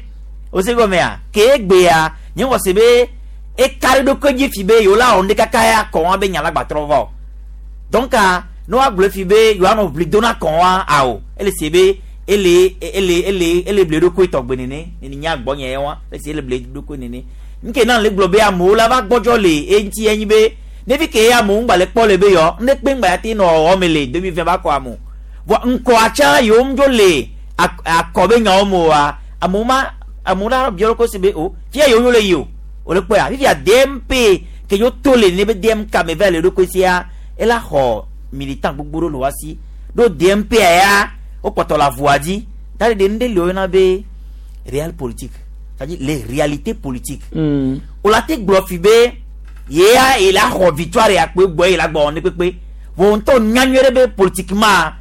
o se gɔmea ke egbea nye wɔ se be eka ɖe ɖokui dzi fi be yewo la wɔ ŋɖe kaka ya kɔ wɔn be nya la gba trɔ va o donc ne woagblɔ fi be yewoanɔ ʋli do na kɔn wa awo ele se be ele ele ele ele ble ɖokui tɔgbe nene nene nya gbɔ nye wa ele se ele ble ɖokui nene nke na le gblɔ be amewo la va gbɔdzɔ le eŋuti enyi be ne fi ke amewo ŋgba le kpɔ le be yɔ ne kpe ŋgba ya te nɔ wɔwɔ me le 2020 ba kɔ amewo Vɔ ŋkɔa tsã yiwo ŋdzo le akɔ be nyawo me oa, amewo ma amewo la biɔ ɖokui se be o fia yiwo ŋdzo le yi o. Wòle kpɔea fifia DMP ke yewo to le ne be DMK me va le ɖokui sia ela xɔ militant gbogbo ɖewo le woa si. Ɖo DMP ya wokpɔtɔ le avua dzi. Ta ɖe nu ɖe li woyɔna be réel politique. C'est-à-dire les réalités politiques. Wòle te gblɔ fi be yea ye la xɔ victoire ya kpe gbɔ ye la gbɔ ne kpekpe. Vɔ ŋutɔ nya nyuie ɖe be politiquement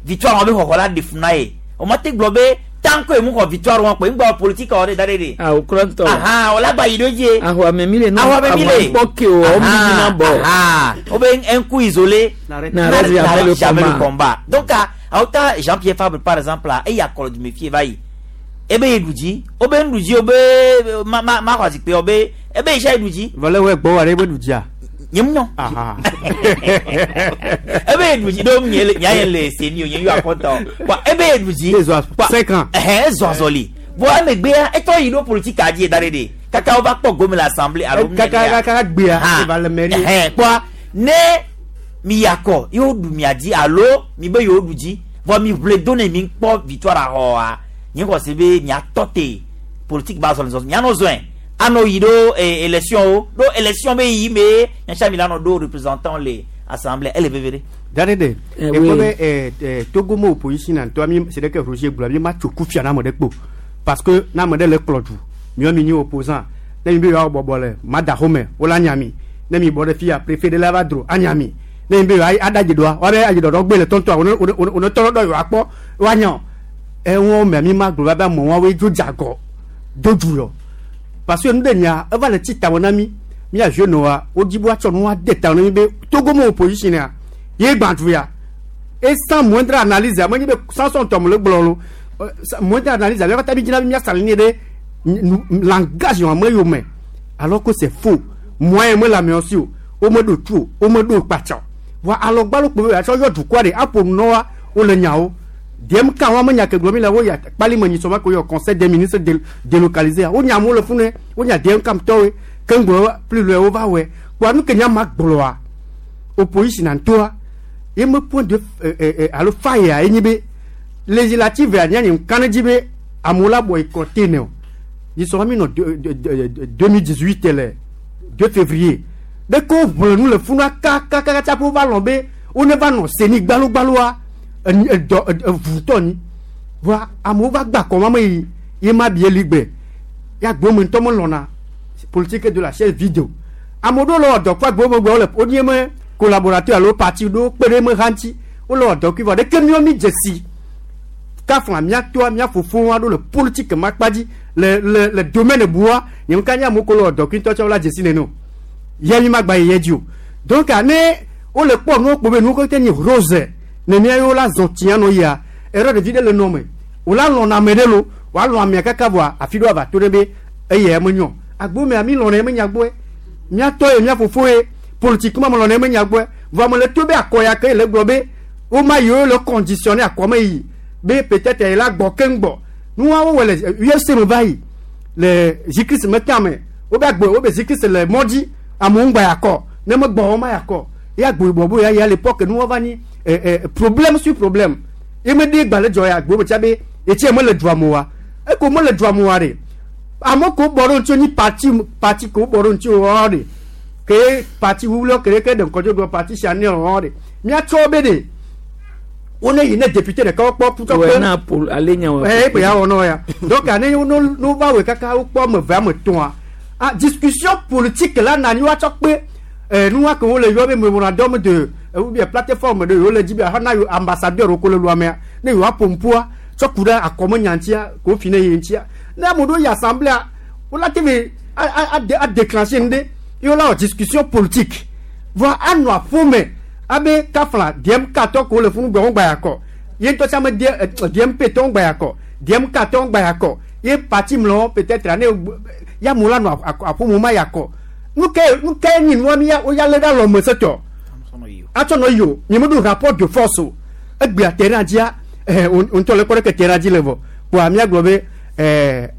victoire wɔn be xɔxɔ la ɖe fu na ye. Wòma te gblɔ be tant que mu xɔ victoire wɔn kpe ŋgbɔ politique wɔ ɖe da ɖe ɖe. Ah, o kura ŋutɔ. Ahan, wòle agba yi ɖo dzi. Ahua me mi le nu Ahua me mi le. kpɔ ke o, wo mi na bɔ. Ahan, wo be un coup isolé N'arrête jamais le jamais le combat. combat. Donc, awuta Jean-Pierre Fabre par exemple, eya kɔlɔ du me fie va yi. Ebe ye ɖu dzi, wobe nuɖu dzi, wobe ma ma ma xɔ azikpui, wobe ebe yi sia ye ɖu dzi. Vɔ le wɔ gbɔ wa ɖe ebe ɖu dzia. Nye mu nyɔ. Aha. Ebe ye ɖu dzi ɖo nye le nya ye le seni o nye yɔ akɔta o. Wa ebe ye ɖu dzi. Ezɔ 5 ans. Ɛhɛn ezɔ azɔli. Vɔ emegbea etɔ yi ɖo politique dzi da ɖe ɖe. Kaka wova kpɔ gome le assemblée alo. Kaka kaka gbea eva le mairie. Ɛhɛn kpɔa ne mi yakɔ yewo ɖu mia dzi alo mi be yewo ɖu dzi vɔ mi ʋle do ne mi kpɔ victoire axɔa nye xɔ se be miatɔ te politique ba zɔli zɔli mianɔ zɔɛ anɔ yi ɖo élection wo ɖo élection be yi me miatsa mi la nɔ ɖo représentant le assemblée ele veve ɖe. Dade de Eh, ekpɔ oui. be Togo me opposition na ŋutɔ mi c'est que Roger gblɔ mi ma tso kufia na ame ɖe kpo parce que na ame ɖe le kplɔ du miɔ mi nyi opposant ne mi be yewoa bɔbɔ le madaxome wola nya mi ne mi bɔ ɖe fia préfet ɖe la va dro anya mi ne mi be yewoa aɖa dziɖɔa woabe adziɖɔɖɔ gbe le tɔntɔa one one one tɔ ɖɔ yewoa kpɔ woanya o ewɔ mɛ mi ma gblɔ va be amewo woe dzo dze agɔ do du yɔ parce que nu ɖe nya eva le tsi tame na mi mía jeune wa wodzi be woatsɔ nu ade tame na mi be Togo me opposition ya ye gbã du ya et sans moindre analyse ame nyi be sans son tɔm le gblɔ lo sans moindre analyse ame katã mi dzina be mía saline ɖe langage wɔn ame yome alors que c'est faux moyen me le amewo si o wo me ɖo tu o wo me ɖo kpatsa o vɔ alɔgbalo kpo be atsɔ yɔ dukɔa ɖe aƒo nu na woa wole nyawo DMK wa me nya ke gblɔ mi le wo ya kpali me nyisɔ ma ko yɔ conseil des ministres délocalisé wo nya amewo le funu wo nya DMK tɔwoe ke ŋgblɔ plus loin wo va wɔe kpoa nu ke nya ma gblɔa opposition na ŋutɔa ye me point de alo faille ya ye nyi be législative ya nya nye ŋka ne dzi be amewo la bɔ ekɔte ne o nyisɔ mi nɔ 2018 le 2 février ɖe ko ʋle nu le funua kakakaka tsaƒe wova lɔn be wo ne va nɔ seni gbalogbaloa edɔ evutɔ ni voa amewo va gba kɔma me yi ye ma bi eli gbe ya gbome ŋutɔ me lɔna politique de la chaise vide o ame ɖewo le wɔ dɔ kple agbome gbe wole wonye me collaborateur alo parti ɖewo kpe ɖe me hã ŋuti wole wɔ dɔ kple vɔ ɖeke míawo mi dze si kafla míatoa mía fofowo aɖewo le politique ma kpa dzi le le le domaine bua nye ŋka nye amewo ko le wɔ dɔ kple ŋutɔ tsɛ wola dze si nene o ye mi ma gba yi ye dzi o donc ne wole kpɔ nuwo kpo be nuwo kete nyi rose ne mía yewo la zɔ tia nɔ yia erreur ɖevi ɖe le nɔ me wòla lɔna ame ɖe lo wòalɔ amea kaka vɔa afi ɖo ava to ɖe be eya me nyɔ agbo mea mi lɔna ye me nya gbɔe míatɔ ye mía fofo ye politiquement me lɔna ye me nya gbɔe vɔ ame le to be akɔ ya ke le gblɔ be woma yiwo le conditionné akɔ me yi be peut-être ye la gbɔ keŋ gbɔ nuwawo wɔ le UFC me va yi le zikris me tame wobe agbo wobe zikris le mɔ dzi amewo ŋgba yakɔ ne me gbɔ wɔma yakɔ ye agbo yibɔ bo ya ya l'époque nuwa va ni problème sur problème ye me de gbalẽ dzɔ ya agbo me tia be etsi me le dua me wa eko me le dua me wa ɖe ame ko bɔ ɖo ŋuti nyi parti parti ko bɔ ɖo ŋuti wɔ ɖe ke parti wulɔ ke ke ɖe ŋkɔdzo gblɔ parti chanel wɔ ɖe míatsɔ be ɖe wo ne yi ne député ɖeka wokpɔ putɔ Wɛ na pol ale nya wa. ɛ ekpe ya wɔ nɔ ya donc ane wo no no va wɔ kaka wokpɔ ame eve ame etɔ̃a ah discussion politique la nani woatsɔ kpe nua ke wole yɔ be memorandum de ou bien plateforme de yewo le dzi be ahana yewo ambassadeur wo ko le lua mea ne yewoa ƒo tsɔ ku ɖe akɔme nya ŋutia ko fi ne yi ŋutia ne ame ɖewo yi assemblée wola te ve a déclencher nu ɖe ye wola wɔ discussion politique vɔ anɔ aƒome abe kafla DMK tɔ ko le funu gbɔ wo gba yakɔ ye ŋutɔ tsa me DMP tɔ gba yakɔ DMK tɔ gba yakɔ ye parti mlɔ peut-être ane ya amewo la nɔ aƒome ma yakɔ nu ke nyi nua mi ya wo ya lé ɖe alɔme setɔ atsɔ nɔ yi o nye me ɖo rapport de force o egbea terrain dzia ŋutɔ le kpɔ ɖe ke terrain dzi le vɔ kpoa míagblɔ be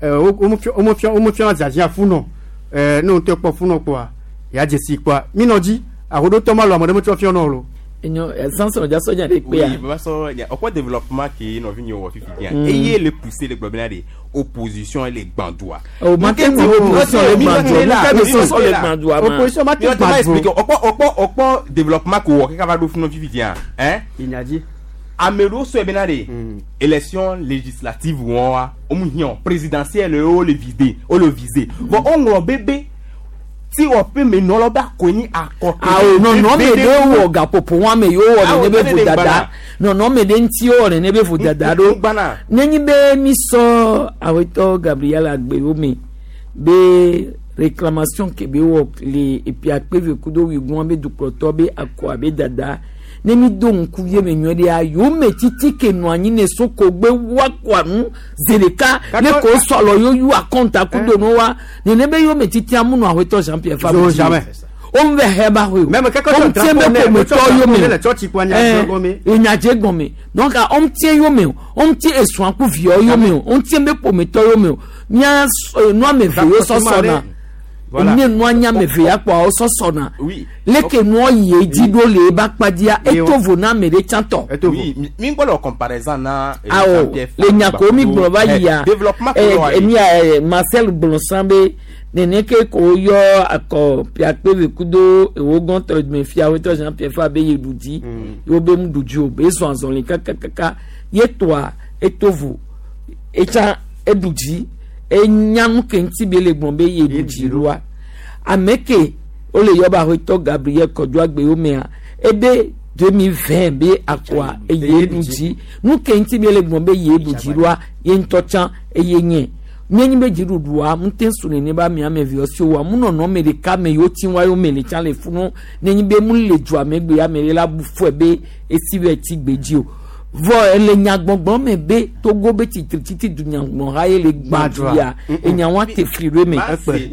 womefia zazia funɔ ne ŋutɔ kpɔ funɔ kpoa ya dze si kpoa minɔ dzi ahoɖotɔ ma lɔ ame ɖe metsɔ fiɔ nɔ o lo. Enyo Samson dza sɔdza ɖe kpea. Oui, baba sɔ nya ɔkpɔ développement ke nɔvi nye wɔ fifi dia. Mm. Eye le poussé le gblɔ bena de opposition le gbãdua. Oh, ma te ŋu opposition le gbãdua. Nu ka be sɔsɔ le gbãdua ma? Opposition ma te gbãdua. Expliquer ɔkpɔ ɔkpɔ ɔkpɔ développement ko wɔ kaka va ɖo funu fifi dia. Hein? Inyadzi. Ame ɖewo sɔe bena de élection législative wɔn wa womu hiã o présidentielle wo le visé wo le visé. Vɔ woŋlɔ bebe ti wɔƒe me nɔlɔ be akɔe nyi akɔ. Awo nɔnɔme ɖe wɔ gaƒoƒo wɔn ame yiwo wɔ nene be vodada nɔnɔme ɖe ŋuti wɔ nene be vodada ɖo nenyi be mi sɔ awetɔ Gabriel Agbewo me be réclamation ke be wɔ le epi akpeve kudo wigun be dukplɔtɔ be akɔ abe dada ne mi do ŋkuvi me nyuie ɖea yome titi ke nɔ anyi ne soko gbe wakɔa nu zi ɖeka ne ko sɔlɔ yoyu akɔnta kudo nu wa nene be yome titi amu nɔ awetɔ Jean Pierre Fabre Zo jamais. o ń bɛ hɛ ba hoe o Même kɛkɛ o ń tsɔ tiɛ bɛ drapeau nɛ, ƒometɔ tsɔ yome drapeau nɛ le tsɔtsi kpɔ anya gɔme. enyadze gɔme donc o ń tiɛ yome o o ń tiɛ esɔn ku viɔ yome o o ń tiɛ bɛ ƒometɔ yome o mía nuame ve yo sɔsɔ na Voilà. ne nua nyame ve ya kpɔ o sɔsɔ na Oui. leke nua yi edzi ɖo le eba kpadia eto vo na ame ɖe tsãtɔ. Oui, mi gbɔdɔ comparaison na. eh, awo Jean-Pierre le Fabre nyako mi gblɔ va Eh, yia développement ko wɔ emi ya Marcel gblɔ be nene ke ko yɔ akɔ piakpe kudo ewo gɔntɔ me fia wetɔ Jean Pierre Fabre be ye ɖu dzi yewo be mu ɖu dzi o be zɔn azɔli kakakaka ye toa eto vo etsa eɖu dzi enya nu ke ŋuti be le gblɔ be ye ɖu dzi ɖoa ame ke wole yɔ be aƒetɔ Gabriel Kɔdzo Agbewo mea ebe 2020 be akɔa eye ɖu dzi nu ke ŋuti be le gblɔ be ye ɖu dzi ɖoa ye ŋutɔ tsã eye nye míenyi be dziɖuɖua ŋute su nene be ame ame viɔ si wa mu nɔnɔ ame ɖeka me yiwo ti wa yome le tsã le funu nenyi be mu le dua me gbe ame ɖe la bu fɔe be esi be ti gbe dzi o vɔ ele nyagbɔgblɔ me be Togo be tsitrititi dunyagbɔha ye le gbã du ya enya wa te fli ɖo eme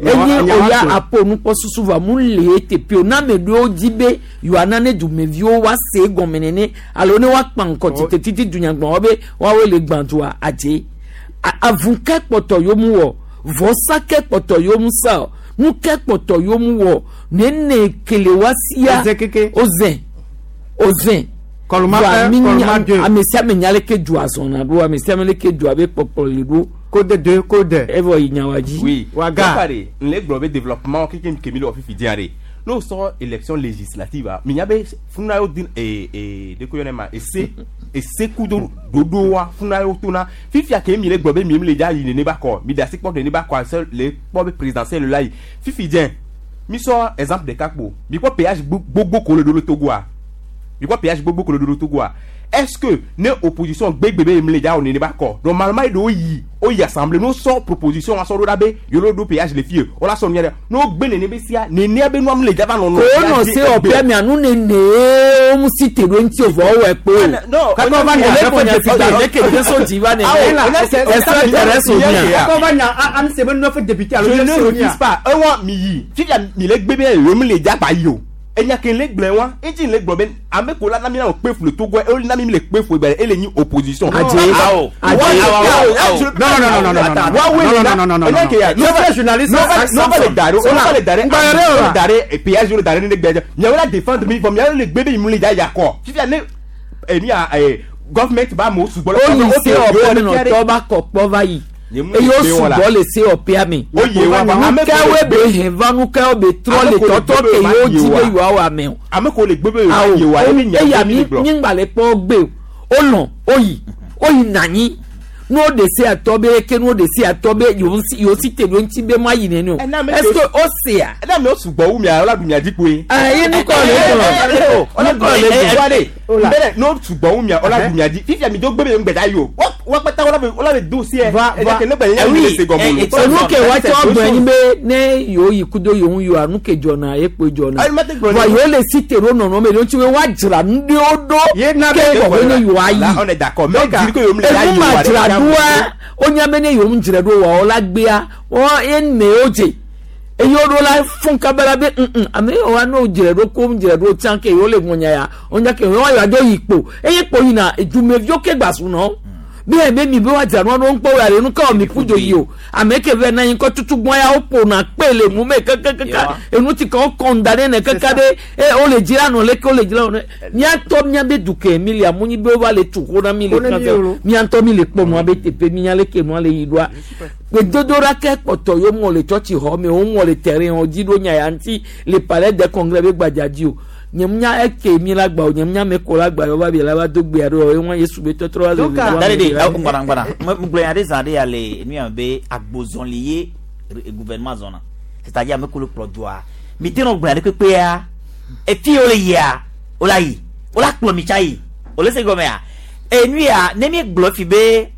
enye oya apo nukpɔsusu va mu le eteƒe o na ame ɖewo dzi be yewoana ne dumeviwo wa se egɔme nene alo ne woakpa ŋkɔ tsitrititi dunyagbɔha be woawoe le gbã dua adze avu ke kpɔtɔ yewo mu wɔ vɔsa ke kpɔtɔ yewo mu sa o nu ke kpɔtɔ yewo mu wɔ nene kele wa sia oze oze Kɔluma Voa un, mi kɔluma nya- deux. ame sia ame nya leke du azɔna ɖo ame sia ame leke dua be kpɔkplɔ li ɖo Code 2, code. evɔ yi nyawa dzi Oui. Waga. Waga. N le gblɔ be développement keke kemi le wɔ fifi dia de. N'o sɔ élection législative a, mi nya be funa y'o di ee ee de ko yɔrɔ ma ese ese kudo dodo wa funa y'o to na fifia ke mi le gblɔ be mi le dza yi nene ba kɔ mi da si kpɔ nene ba kɔ ase le kpɔ be présidentielle la yi fifi diɛ mi sɔ exemple ɖeka kpo mi kpɔ péage gbogbo ko le do le Togoa mi kpɔ péage gbogbo ko le do le Togoa est-ce que ne opposition gbegbe be mi le dza wɔ nene ba kɔ normalement yi ɖewo yi o yi assemblée n'o sɔ proposition wa sɔ ɖo ɖa be yolo do péage le fie o la sɔ nu yɛ dɛ n'o gbe nene be sia nenea be nua mi le dza va nɔ nɔ. ko nɔ se ɔpia mia nu nene wo mu si te ɖo ŋuti o vɔ wɔ ekpo o Kakɔ va nya ele neuf nya députés. fi da ne ke deso dzi va nene ɛsɛ tɛrɛ so mia Kakɔ va nya an se be neuf députés alo je neuf ne sonia. refuse pas ewa mi yi fifia mi le gbe be yewo mi le dza gba yi o enya ke le gblẽ wa etsi le gblɔ be ame ko la na mi na kpe fu le Togo e na mi mi le kpe fu egbe ele nyi opposition. Adze. Awo. Adze. Awo. Non, non, non, non, non, non, non. Wa Non, non, non, non, non, enya ke ya. non. Le vrai journaliste, c'est n'o va le dare o va le dare Ngbayere o o la. le dare péage o le dare ne gbɛdɛ miawo la défendre mi vɔ miawo le gbe be mi le dza ya kɔ fifia ne enu ya government ba mo sugbɔ o yi se ɔpia mi nɔtɔ ba kɔ kpɔ va yi eye o sugbɔ le se ɔpia mi O ye wa ba. Ame ko nukewoe le be gbe- hɛn va nukewo be trɔ Ame le ko le tɔtɔ gbe ke be yewo ma dzi ye be wa. yewoawɔ ame o ame ko le gbe be awo ye wa ye nya eya mi mi le gblɔ. mi ŋgba le kpɔ gbe o o lɔn o yi o yi nanyi n'o de se atɔ be ke n'o de se atɔ be yewo si yewo si te ɖo ŋuti be ma yi nene o Ɛna ame est ce ko- que o sea ɛna ame sugbɔ wu mia ɔla du mia dzi kpoe. aa ye nukɔ le gblɔ nukɔ le gblɔ Bẹ́ẹ̀ n'o sugbɔ wu mia ɔla du mia dzi fifia mi do gbe be ŋgbɛda yi o wa kpata ɔla be do seɛ Va- ɛdá va- kele gbɛ yẹn mi le se gɔmɔ lo. enu ke wa tsɔ gblɔ nyi be ne yewo yi kudo yewo ŋu yewoa nu ke dzɔna ekpoe dzɔna Ayi, mate gblɔ wa ne- yewo le si te ɖo nɔnɔme ɖe ŋuti be woadzra nu ɖewo ɖo Ye na ke be- kɔkɔ ne yewoa La yi on est d'accord mais diri ko yewo mi le da enu yi ma wa dzra ɖoa wonya be ne yewo dzra ɖo wa wo la gbea wo ye ne wo dze eye wo ɖo la fún kaba la be ŋŋ ame yiwo wa ne wo dzra ɖo ko dzra ɖo tsã ke yewo le ŋɔnya ya wonya ke yewo yewoa dzo yi kpo eye kpo yina dumeviwo ke gba su nɔ Be be mi be wa dzra nua ɖo ŋkpɔ wo ale nu ka wɔ mi ƒu dzo yi o. Ame ke vɛ na anyi kɔ tutu gbɔn ya wo ƒona kpe le nu me kekekeka. Enu ti ka wo kɔn da ɖe ne keka be e wole dzi la nɔ leke wole dzi la nɔ. Míatɔ míabe du ke mi lia mu nyi be wova le tu xo na mi le Xo na mi kan o. míatɔ mi le kpɔ nua be teƒe mi nya leke nua le yi ɖoa. Gbedodoɖa ke kpɔtɔ ye womɔ le tsɔtsi xɔ me womɔ le terrain wo dzi ɖo nya ya ŋuti le palais de congrès be gbadza dzi o. Nye mu nya eke mi la gba o nye mu nya ame ko la gba yɔ va bi la va do gbea ɖo ye ŋua Yesu be tɔtrɔ va Donc, le dale de ŋgbana ŋgbana ŋgblɔ nya ɖe zã ɖe ya le nu ya me be agbozɔli ye gouvernement zɔna c'est-à-dire ame ko le kplɔ dua mi te nɔ gblɔ nya ɖe kpekpea efi wo le yia wo la yi wo la kplɔ mi tsa yi o le se gɔmea enu ya ne mi gblɔ fi be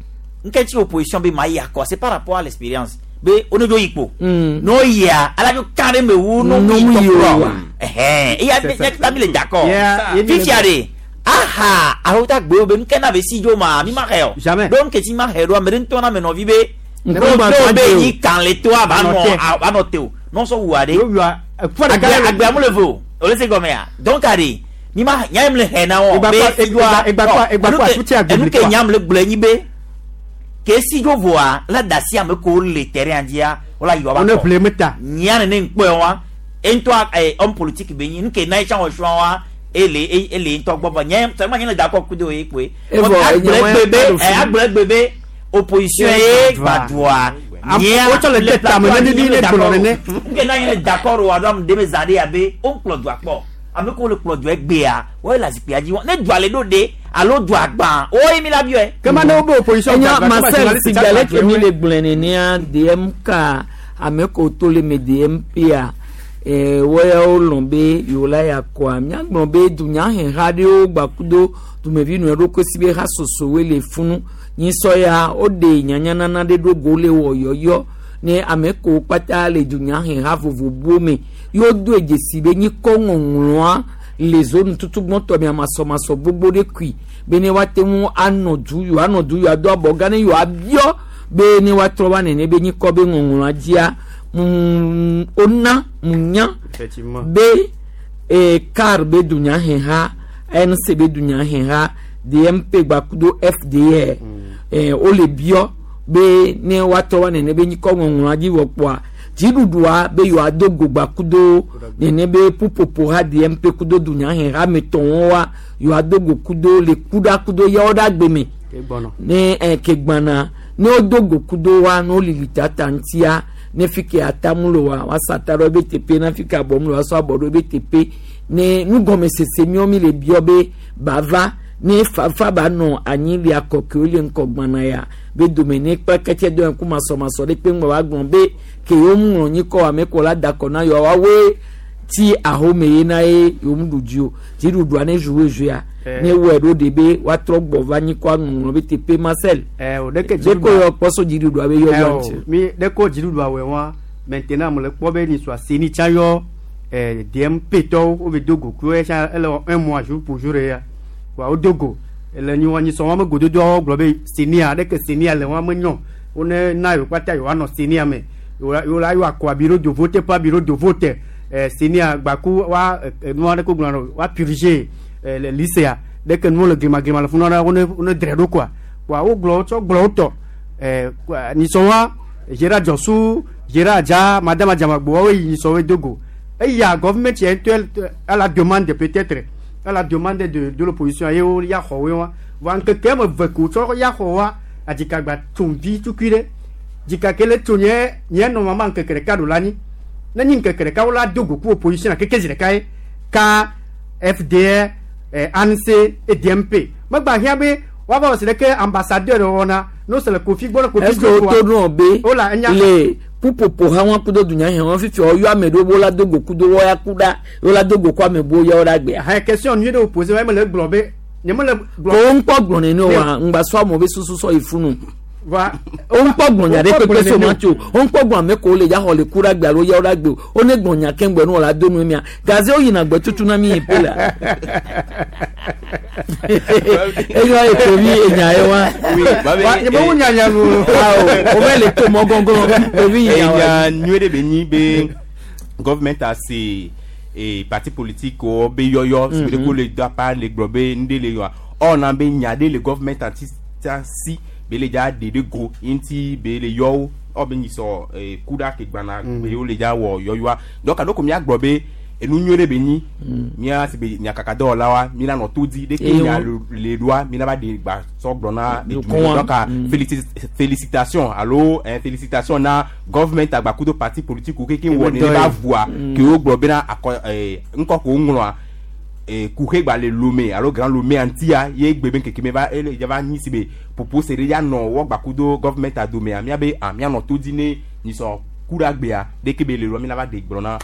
nketsi opposition be ma yi akɔ c'est par rapport à l'expérience be wo ne dzo yi kpo n'o yia ala dzo kan ɖe me wu n'o N'o yi mu yi o tɔ wa. kplɔ ɛhɛn eya C'est ça. mi ta mi le d'accord Yeah, ye mi le- fifia de aha alo ta gbe wo be nke na be si dzo ma mi ma xɛ o Jamais. donc nketsi ma xɛ ɖo ame ɖe ŋutɔ na me nɔvi be Nkɔ n'o gba dɔw gba be te o. yi kan le to ava Anɔ nɔ te. anɔ te o n'o sɔ wua de Yo wua ekua ɖeka agbea le- agbea mu le vo o o le se gɔmea donc ade mi ma nya ye mi le xɛ na wɔ Egba be kɔ- si dzoa egba kɔ- egba kɔ enu ke- asuti agbeli enu ke kɔa. nya mi le gblɔ enyi be ke si dzo voa la da si ame ko le terrain dzia wola yi wa ba Wo ne kɔ ƒle me ta. nya nene ŋkpɔe wa eŋutɔ ɛ homme politique be nyi nuke na ye tsã wɔ srɔ̃ wa ele ele ŋutɔ gbɔ vɔ nye seulement nye le d'accord kudo ye koe Evɔ, agblɔ enye egbe be wa- ɛ agblɔ egbe be opposition ye gbadua nyea Wotsɔ le de tame ne mi ne gblɔ nene. nke na nye le d'accord wa ɖo ame ɖe me zã ɖe abe wo kplɔ dua kpɔ ame ko le kplɔ dua egbea wo le zikpuia dzi ne dua le ɖo de alo dua gbã wo ye mi la biɔe. Kema ne wo be opposition Enya gbagba, kema Marcel journaliste si tsa gale gbagba ke mi woe. le gblɔe nenea DMK ame ko to le me DMP a wɔyawo lɔn be yewo la ya kɔa míagblɔ be dunyaheha ɖewo gbakudo dumevi nɔe ɖokui si be ha sosowoe le funu nyisɔ ya woɖe nyanyanana ɖe ɖo go le wɔ yɔyɔ ne ame kowo kpata le dunyaheha vovovowo me yewo do dzesi be nyikɔ ŋɔŋlɔa le zone tutu gbɔtɔ mia masɔmasɔ gbogbo ɖe kui be ne woate ŋu anɔ du yewoa anɔ du yewoa do abɔ gã ne yewoa biɔ be ne woatrɔ va nene be nyikɔ be ŋɔŋlɔa dzia wona mu nya Effectivement. be car be dunyaheha nc be dunyaheha dmp gbakudo fdr wole biɔ be ne woatrɔ va nene be nyikɔ ŋɔŋlɔa dzi vɔ kpoa dziɖuɖua be yewoado go gbakudo nene be ƒuƒoƒo ha dmp kudo dunyaheha me tɔwo wa yewoado go kudo le kuɖa kudo yawo ɖe agbe me Ke gbɔnɔ. ne ke gbana ne wodo go kudo wa ne wolili tata ŋutia ne fi ke atamu le wa woasa ata ɖe wobe teƒe ne fi ke abɔmu le wa woasɔ abɔ ɖe wobe teƒe ne nugɔmesese miwo mi le biɔ be bava ne fafa ba nɔ anyi le akɔkewo le ŋkɔ gbana ya be dome ne kpe kɛtɛ do ŋku masɔmasɔ ɖe kpe ŋgɔ wa gblɔ be ke yewo ŋlɔ nyikɔ ame ko la da kɔ na yewoa woawoe ti ahome ye na ye yewo mu ɖu dzi o dziɖuɖua ne zu woe ne wɔe ɖo de be woatrɔ gbɔ va nyikɔ aŋɔŋlɔ be teƒe Marcel o ɖeke ɖeko yɔ kpɔso dziɖuɖua be yɔyɔ Eh, o, ŋuti. mi ɖeko dziɖuɖua wɔe wa maintenant mo le kpɔ be nisua seni tsã yɔ DMP tɔwo wo be do go ku ye tsã ele wɔ un mois jour pour jour ya wa wo do go ele nyi wa nyisɔ wa me gododoawo gblɔ be senia ɖeke senia le wa me nyɔ wo ne na yewo kpata yewoa nɔ senia me yewo la yewoa akɔ bureau de vote pa bureau de vote senia gbaku wa nua ɖe ko gblɔ na wa purger le lycée ɖeke nuwo le glimaglima le funu ɖe wo ne drɛ ɖo quoi wa wo gblɔ wotsɔ gblɔ wotɔ nyisɔ wa Gérard Djossou Gérard Adja Madame Adjamagbo woawoe yi nyisɔ woe do go eya gouvernement yɛ ŋutɔ à la demande peut-être à la demande de l'opposition ye wo ya xɔ woe wa vɔa ŋkeke ame eve ko tsɔ ya xɔ wa adzikagba tso vi tukui ɖe dzika ke le tso nye nye nɔ mama ŋkeke ɖeka ɖo la anyi ne nyi ŋkeke ɖeka wo la do go ku opposition keke zi ɖeka ye ka FDR ANC et DMP megba hiã be woava wɔ si ɖeke ambassadeur wɔna n'o se le Kofi gbɔ ne Kofi est ce que woto nɔ be Wola, enya- le ƒuƒoƒo ha wɔn kudo dunyahe wɔn fifi ɔyɔ ame ɖewo la do go kudo wɔya ku ɖa wo la do go ku ame bo yawo ɖe agbea. Hɛn question nyuie ɖe wo posé wa ye mele gblɔ be nye mele gblɔ. Ko ŋkpɔ gblɔ nene wa ŋgba sɔ amewo be susu sɔ yi funu. Va o ŋkpɔ gblɔ nya ɖe Wo kpɔ kpekpe so gblɔ ma nene tso o ŋkpɔ gblɔ ame ko le ya xɔ le ku ɖe agbe alo yawo ɖe agbe o o ne gblɔ nya keŋgbɛ nu wòle do nu mia gaze wo yina gbe tutu na mi yi pe la. Eyɔ eto mi enya ye wa. Wa, nye mewu nya nya nu. Awo o bɛ le to mɔ gɔngɔn tovi nya wa. Enya nyuie ɖe be nyi be government ase parti politique wo be yɔyɔ si be ɖe ko le do apa le gblɔ be nu ɖe le yɔa ɔna be nya ɖe le government ati ta si be le dza ɖe ɖe go ye ŋuti be le yɔ wo ɔ be nyisɔ ku ɖa ke gbana be wo le dza wɔ yɔyɔa donc alo ko míagblɔ be enu nyuie ɖe be nyi mía si be nyakakadɔwɔlawoa mi la nɔ to dzi ɖeke Eye nya wo- le ɖoa mi la va ɖe gba sɔ gblɔ na Dukɔa. donc félicitation alo félicitation na government agbakudo parti politique wo keke wɔ nene ba vua ke wo gblɔ bena akɔ ŋkɔ ko ŋlɔa kuxe gba le Lomé alo Grand Lomé ŋutia ye gbe be ŋkeke me va ele ya va nyi si be popo se ɖe ya nɔ wɔ gbakudo government adomea míabe ah míanɔ to dzi ne nyisɔ ku ɖe agbea ɖeke be le ɖoa mi la va ɖe gblɔ na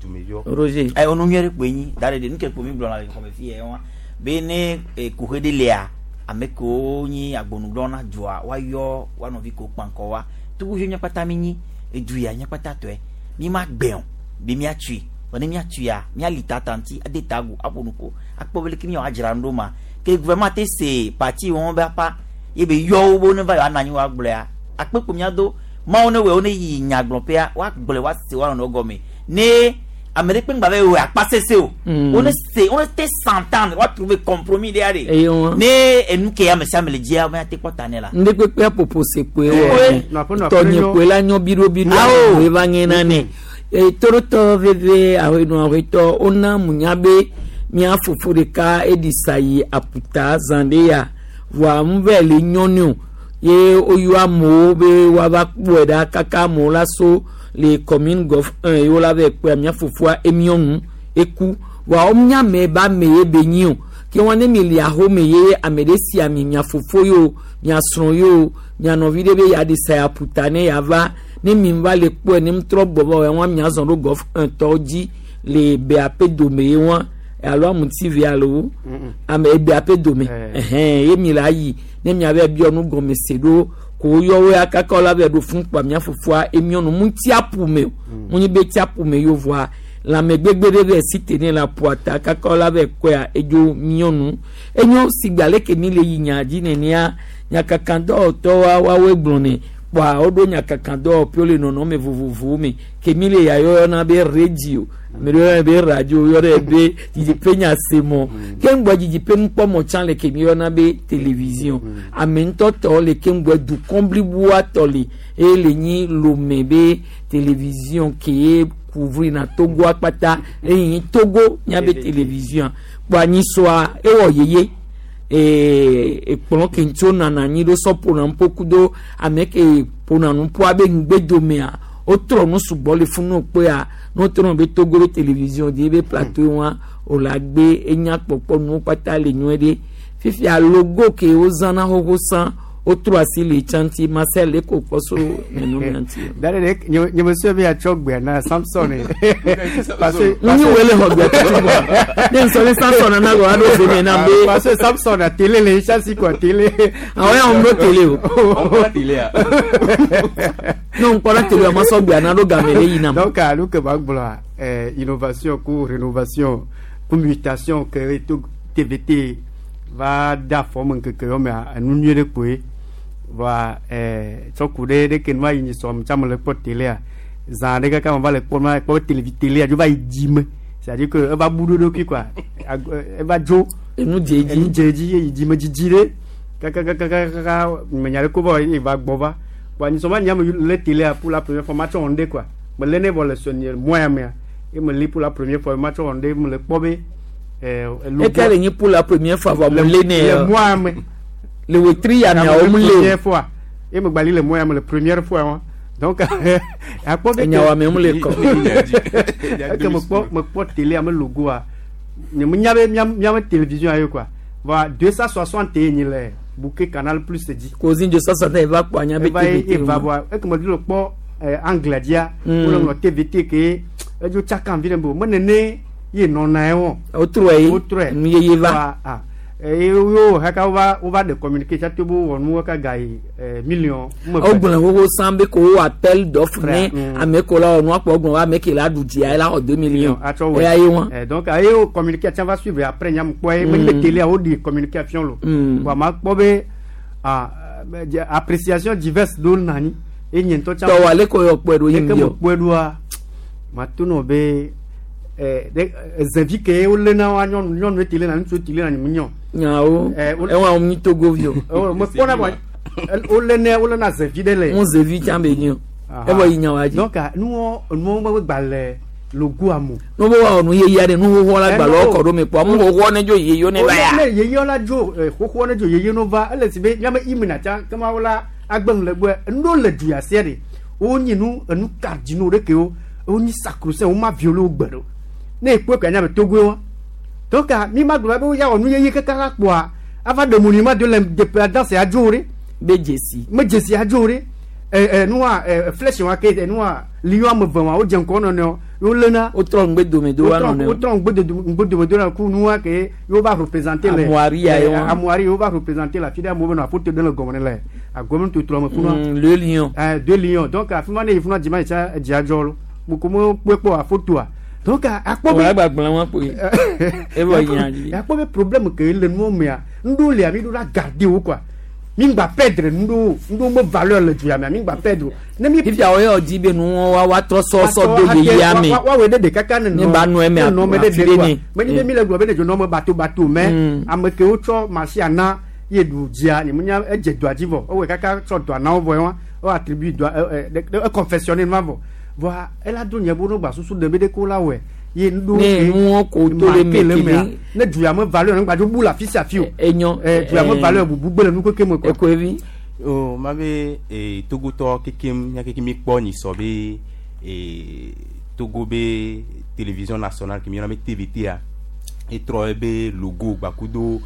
dumeviwo. Roger. Ɛ onu nyuie ɖe kpoe nyi da ɖe ɖe nu ke kpo mi gblɔna le xɔme fi yɛ wa be ne kuxe ɖe lia ame kewo nyi agbonugblɔ na dua woayɔ woa nɔvi kewo kpankɔ wa togovi mía kpata mi nyi edu ya mía kpata tɔe mi ma gbɛ o be míatsui vɔ ne míatsuia míali tata ŋuti ade ta agu aƒo nuƒo akpɔ be leke míawɔ adzra nu ɖo ma ke gouvernement te se parti wɔn be apa ye be yɔ wo be wo ne va yewoanɔ anyi woagblɔea akpe kpo míado mawo ne wɔe wo ne yi nyagblɔƒea woagblɔe woase woanɔ nɔ gɔme ne ame ɖe kpe ŋgba be wɔ akpa sese o. Wo ne se wo ne te s'entendre woa trouver compromis ɖe aɖe Eye wɔn. ne enu ke ame sia ame le dzia wo te kpɔ ta ne la. Ndé kpekpe apopo se kpoe Kpoe. wɔ Nɔƒe, nɔƒe tɔnye nyɔ. kpoe la nyɔ biɖobiɖo Awo. awo va ŋe na ne torotɔ veve ahenu ahetɔ wona munya be mía fofo ɖeka eɖi sa yi aputa zã ɖe ya voa ŋu vɛ le nyɔnu o ye woyɔ amewo be woava kpɔe ɖa kaka amewo la so le commune golf 1 ye wola vɛ kpɔa mía fofoa emiɔ nu eku voa womenya ame ba ame ye be nyi o ke wɔn ne mi le ahome ye ame ɖe si ami mia fofo yi o mia srɔ̃ yi o mia nɔvi ɖe be yeaɖi sa ya ƒuta ne yeava ne mi va le kpɔe ne trɔ gbɔ va wɔn mia zɔn ɖo golf 1 tɔwo dzi le beape dome ye wɔn alo amuti vi alo ame ebeape dome ɛhɛn ye mi le ayi ne mia vɛ biɔ nu gɔme se ɖo ko woyɔ wo ya kaka wo la vɛ ɖo fún kpa mia fofoa emiɔ nu mu ti aƒu me o mu nyi be ti aƒu me yevoa lãme gbegbe ɖe vɛ si te ne le aƒua ta kaka wo la vɛ kɔea edzo miɔ nu enyo sigbe aleke mi le yi nya dzi nenea nyakakadɔwɔtɔwoa woawoe gblɔ nɛ kpɔa woɖo nyakakadɔwɔƒewo le nɔnɔme vovovowo me ke mi le yayɔyɔna be radio ame ɖewo yɔna be radio yɔna be didiƒe nyasemɔ ke ŋgbɔ didiƒe nukpɔmɔ tsã le ke mi yɔna be télévision ame ŋutɔ tɔ le ke ŋgbɔ dukɔ bliboa tɔ le eye le nyi Lome be télévision ke ye couvrir na Togoa kpata eye nyi Togo miabe télévision kpɔ anyisɔa ewɔ yeye ekplɔ ke ŋuti wonana anyi ɖo sɔ ƒona nuƒo kudo ame ke ƒona nuƒoa be ŋgbedomea wotrɔ nu sugbɔ le funu wokpɔa ne wotrɔ nu be Togo be télévision di be plateau wa wòle agbe enya kpɔkpɔ nuwo kpata le nyuie ɖe fifia logo ke wozãna xoxo sã wotrɔ asi le tsã ŋuti Marcel eko kpɔ so nenɔmea ŋuti. Dare ɖe nye me sue be yeatsɔ gbea na Samson ye. Parce que Ŋu wo le xɔ gbea tutu gbɔ. Ne nsɔ ne Samson nana gɔ aɖo ve me na be. Parce que Samson a télé le chasi quoi télé. Awɔ ya wɔn ɖo télé o. Ne ŋkpɔ ɖe télé o ma sɔ gbea na ɖo game ɖe yina. Donc alo ke ma gblɔa innovation ku rénovation ku mutation ke to TVT va da afɔ me ŋkeke yɔ mea enu nyuie ɖe kpoe. Voa tsɔ ku ɖe ɖe ke nua yi nyi sɔm tsã me le kpɔ télé zã ɖe kaka me va le kpɔ ma kpɔ télévi télé dzo va yi dzi me c'est à dire que eva bu ɖo ɖokui quoi eva dzo enu dze dzi enu dze dzi ye yi dzi me dzidzi ɖe kaka kaka kaka me nya ɖe ko va ye va gbɔ va voa nyisɔ ma nya me lé télé pour la première fois ma tsɔ wɔn ɖe quoi me lé ne vɔ le sɔnye moya mea ye me lé pour la première fois ma tsɔ wɔn ɖe me le kpɔ be Eke le nyi pour la première fois vɔ mo lé ne. Le moya me le wetri ya mia wo mu lé o. Première fois ye me gbali le moya me le première fois wa donc akpɔ be Enya wa me mu le kɔ. Eke me kpɔ télé ame logoa nye me nya be miame télévision ayo quoi voa 260 ye nyi le bouquet Canal Plus dzi. Kozin 260 eva kpɔ anya be Eva ye TVT. eva voa eke me le kpɔ anglais dzia wole ŋlɔ TVT ke edzo tsaka vi ɖe me o me nene ye nɔna ye wɔn. Wotrɔe ye. Wotrɔe. Nu yeye va. Voa, ah, eye wo haka wova ɖe communiqué tsa to be wowɔ nuwo ka ga yi million. Wogblɔ xoxo sã be ko wo appel d'offre ne ame ko la wɔ nua kpɔ gblɔ ame ke la ɖu dzia la xɔ 2 millions. Atsɔ wɔ. Eya ye wɔn. Donc aye wo communiqué tsa va suivre après nyam kpɔ ye menye be télé wo ɖi communiqué fiɔ lo. Voa ma kpɔ be ah appréciation diverse ɖo nani ye nye ŋutɔ tsa. Tɔwɔ ale ko yɔ kpɔe ɖo ye Eke ŋbiɔ. me kpɔe ɖoa ma to nɔ be ɖe zevi ke wolé na wa nyɔnu nyɔnu télé na ŋutsu télé na nyɔ. Nyawo. Ewa wo nyi Togo vi o. Me kpɔna bɔ Wolene wolena zevi ɖe le. Ŋu zevi tsã be nyi o. Evɔ yi nya wa dzi. Donc nuwɔ nuwɔ be gba le logoa mo. No be woawɔ nu yeye aɖe nu xoxoa la gbalẽ kɔ ɖo me kpɔ amu xoxoa ne dzo yeye ne va ya. Ne yeye la dzo xoxoa ne dzo yeye no va ele si be miame imina tsã kema wo la agbe nu le gbɔe nu ɖewo le du ya sia ɖe wonyi nu enu kardinaux ɖe kewo wonyi sacrosaint wo ma violé wo gbe ɖo ne ekpɔe ko anya be togoe wa donc mi ma gblɔ be wo ya wɔ nu yeye kaka la kpoa ava ɖe monument de l'indépendance ya dzo ɖe. Be dzesi. Me dzesi ya dzo ɖe ɛ ɛ nua ɛ flèche wa ke ɛ nua lion ame eve wa wodze ŋkɔ nɔnɔewo wolena. Wotrɔ ŋgbe dome do wa nɔnɔewo. Wotrɔ ŋgbe dome do na ku nua ke yewo va représenter le. Amoari ya ye wa. Amoari yewo va représenter le afi ɖe amewo be nɔ afoto ɖe le gɔme ne le agɔme totroa me funua. Le lion. Ɛ deux lions donc afi ma ne yi funua dzima yi tsa edzi adzɔ lo moko me kpɔe kpɔ afotoa donc akpɔ be. Wòle gbagblẽ wa kpoe. Evɔ yi nya dzi. Akpɔ be problème ke le nuwo mea nuɖewo lia mi ɖo la garder wo quoi mi ŋgba perdre nuɖewo nuɖewo me valeur le du ya mea mi ŋgba perdre o. Ne mi. Fifia wo yɔ di be nuwo wa wa trɔ sɔsɔ do yeyea me. Wa wɔ ɖe ɖeka ka ne Ne ba nɔ eme ne nɔ me ɖe afi ɖe ɖe quoi. ne. Menye be mi le gblɔ be ne dzo nɔ me bato bato mɛ ame kewo tsɔ machine na ye ɖu dzia nye menya edze dɔa dzi vɔ ewɔe kaka tsɔ dɔa na wo vɔ ye wa wo attribue dɔa ɛ ɛ ɖe e confectionner nua vɔ vɔa ela do nye bo no gba susu ɖe be ɖe ko la wɔe ye nuɖewo Ne nuwo ko to le marqué me le mea kele. ne du ya me valeur ne gba dzo bu le afi sia afi o. Enyo. Ɛ du ya me valeur bubu gbe le nu keke me quoi. Ekoevi. O ma be Togotɔ kekem mía keke mi kpɔ nyisɔ be Togo be télévision nationale ke mi yɔna be TVT a etrɔ ebe logo gbakudo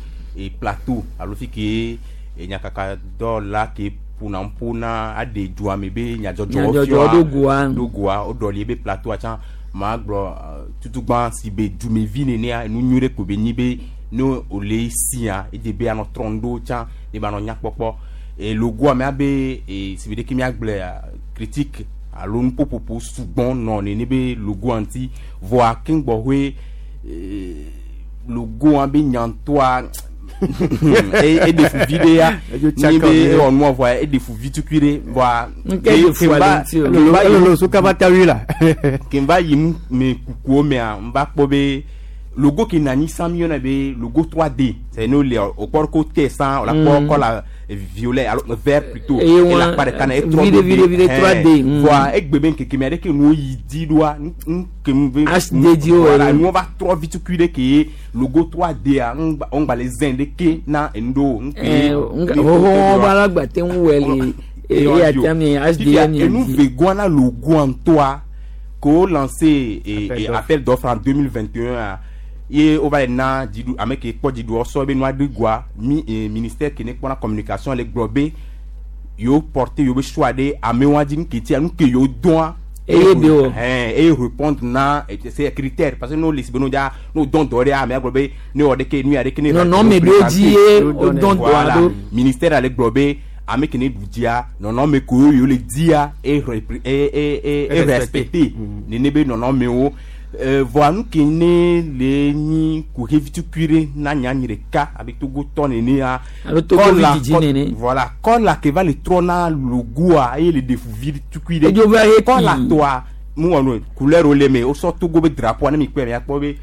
plateau alo fi ke nyakaka dɔwɔla ke ƒona ƒo na aɖe dua me be nyadzɔdzɔwo Nyadzɔdzɔwo ɖo goa. ɖo goa woɖɔli ebe plateau tsã ma gblɔ tutugba si be dumevi nenea enu nyui ɖe ko be nyi be ne wòle sia edze be anɔ trɔ ŋɖo tsã ne ba nɔ nyakpɔkpɔ logoa mea be si be ɖeke miagblɔe critique alo nuƒoƒoƒo sugbɔ nɔ nene be logoa ŋuti vɔa keŋgbɔxɔe logoa be nyantɔa eɖe fu vi ɖe ya ni be ewɔ nua vɔa eɖe fu vi tukui ɖe vɔa Nke ɖe fu ale ŋuti o. Elolo so kaba ta wi la. ke n va yi nu me kukuwo mea n va kpɔ be logo ke na anyi sã mi yɔna be logo 3D c'est ne le o kpɔ ko tɛ sã o la kpɔ kɔla violet alo vert plutôt Eye ele wa- akpa ɖeka na etrɔ viɖe, viɖe, viɖe, 3D. Vɔa egbe be ŋkeke mea ɖeke nuwo yi dzi ɖoa nu ke nu be HD dzi wo voilà ene. nuwo va trɔ vi tukui ɖe ke logo 3D a ŋgba ŋgba le zɛn ɖeke na enu ɖewo ŋke Xoxo ba la gba te ŋu wɛ le eya tia mi Fifia, HDM enu mi. ve goa na logo ŋutɔa ko wo lancé Appel appel d'offre en 2021 a ye wova yi na dziɖu ame ke kpɔ dziɖuɔ sɔ be nua ɖe goa mi ministère ke ne kpɔna communication le gblɔ be yewo porter yewo be choix ɖe amewoa dzi nu ke tia nu ke yewo dɔa Eye be wɔ. Ɛn, eye répondre na c'est critère parce que n'o le si be n'o dza n'o dɔn dɔ ɖe amea gblɔ be ne wɔ ɖeke nu ya ɖeke ne Nɔnɔme ɖewo dzi ye wodɔn dɔa Voilà. ɖo. Ministère ale gblɔ be ame ke ne ɖu dzia nɔnɔme kewo yewo le dzia e e e e e respecter nene be nɔnɔmewo vɔa nu ke ne le nyi kuxi vitukui ɖe na nyanyi ɖeka abe togotɔ nenea Alo togovi dzidzi nene. Voilà kɔla ke va le trɔ na logoa eye le ɖe fu vitukui ɖe Edzo va he kɔla kpi. tɔa mu wɔ nu couleur wo le me wosɔ Togo be drapeau ne mi kpɔe miakpɔ be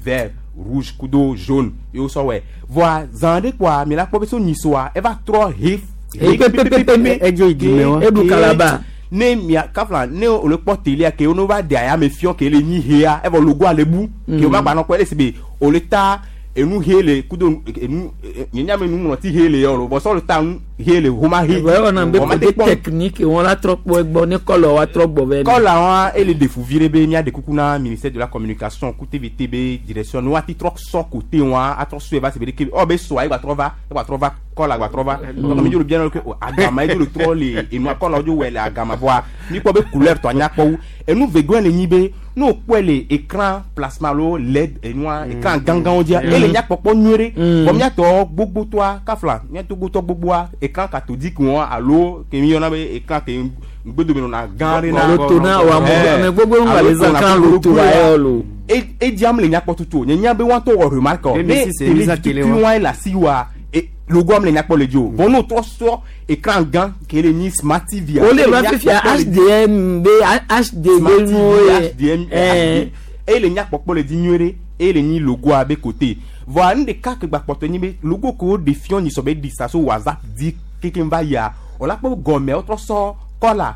vert rouge kudo jaune ye wosɔ wɔe vɔa zã ɖe kpoa mi la kpɔ be so nyisoa eva trɔ he He pepepepe. Edzo yi dzime wa. Eɖu kalaba. Ne mia kafla ne wòle kpɔ telia ke wo va de ayame fiɔ ke le nyi hea evɔ logoa le bu ke wo ma gba nɔ kpɔ ele si be wòle ta enu he le kudo enu nye nya me nuŋlɔti he le yɔ lo bɔsɔ le ta nu he le homa he. Vɔ ewɔna be Vɔ ma te côté kpɔ- technique wọn la trɔ kpɔ egbɔ ne kɔlɔ wa trɔ gbɔ vɛ. Kɔla wa ele ɖe fu vi ɖe be mía ɖe kuku na ministère de la communication ku TVT be direction ne woati trɔ sɔ côté wa atrɔ sɔe va si be ɖeke ɔ be sɔa egba trɔ va egba trɔ va kɔla gba trɔ va donc mi dzo le bia na ke o agama ye dzo le trɔ le enua kɔla dzo wɔ le agama vɔa mi kpɔ be couleur tɔ anya kpɔ wu enu vegɔe le nyi be ne o kpɔe le écran plasma alo led enua écran gãgãwo dzia ele nyakpɔkpɔ nyuie ɖe vɔ míatɔ gbogbotɔa kafla mía togbotɔ gbogboa écran cathodique wɔn alo ke mi yɔna be écran ke ŋgbedome nɔna gã ɖe na Loto na o ame gbogbo ŋgba le zã kan loto ayɔ lo. Ediam le nyakpɔ tutu o nye nya be wɔn tɔ wɔ remarque o ne 2006 télé mise télé tukui wa. wɔn le asi wa logo am le nyakpɔ le dzi o bon n'o trɔ sɔ écran gã ke le nyi smart TV O le va fifia HDM be HD be Smart nuwo TV ye. HDM Ɛɛ. HD eye le nyakpɔkpɔ le dzi nyuie ɖe eye le nyi logoa be côté vɔa nu ɖeka ke gba kpɔtɔ nyi be logo ke wo ɖe fiɔ nyi sɔ be ɖi sa so WhatsApp di kekem va yia wòla kpɔ gɔmea wotrɔ sɔ kɔla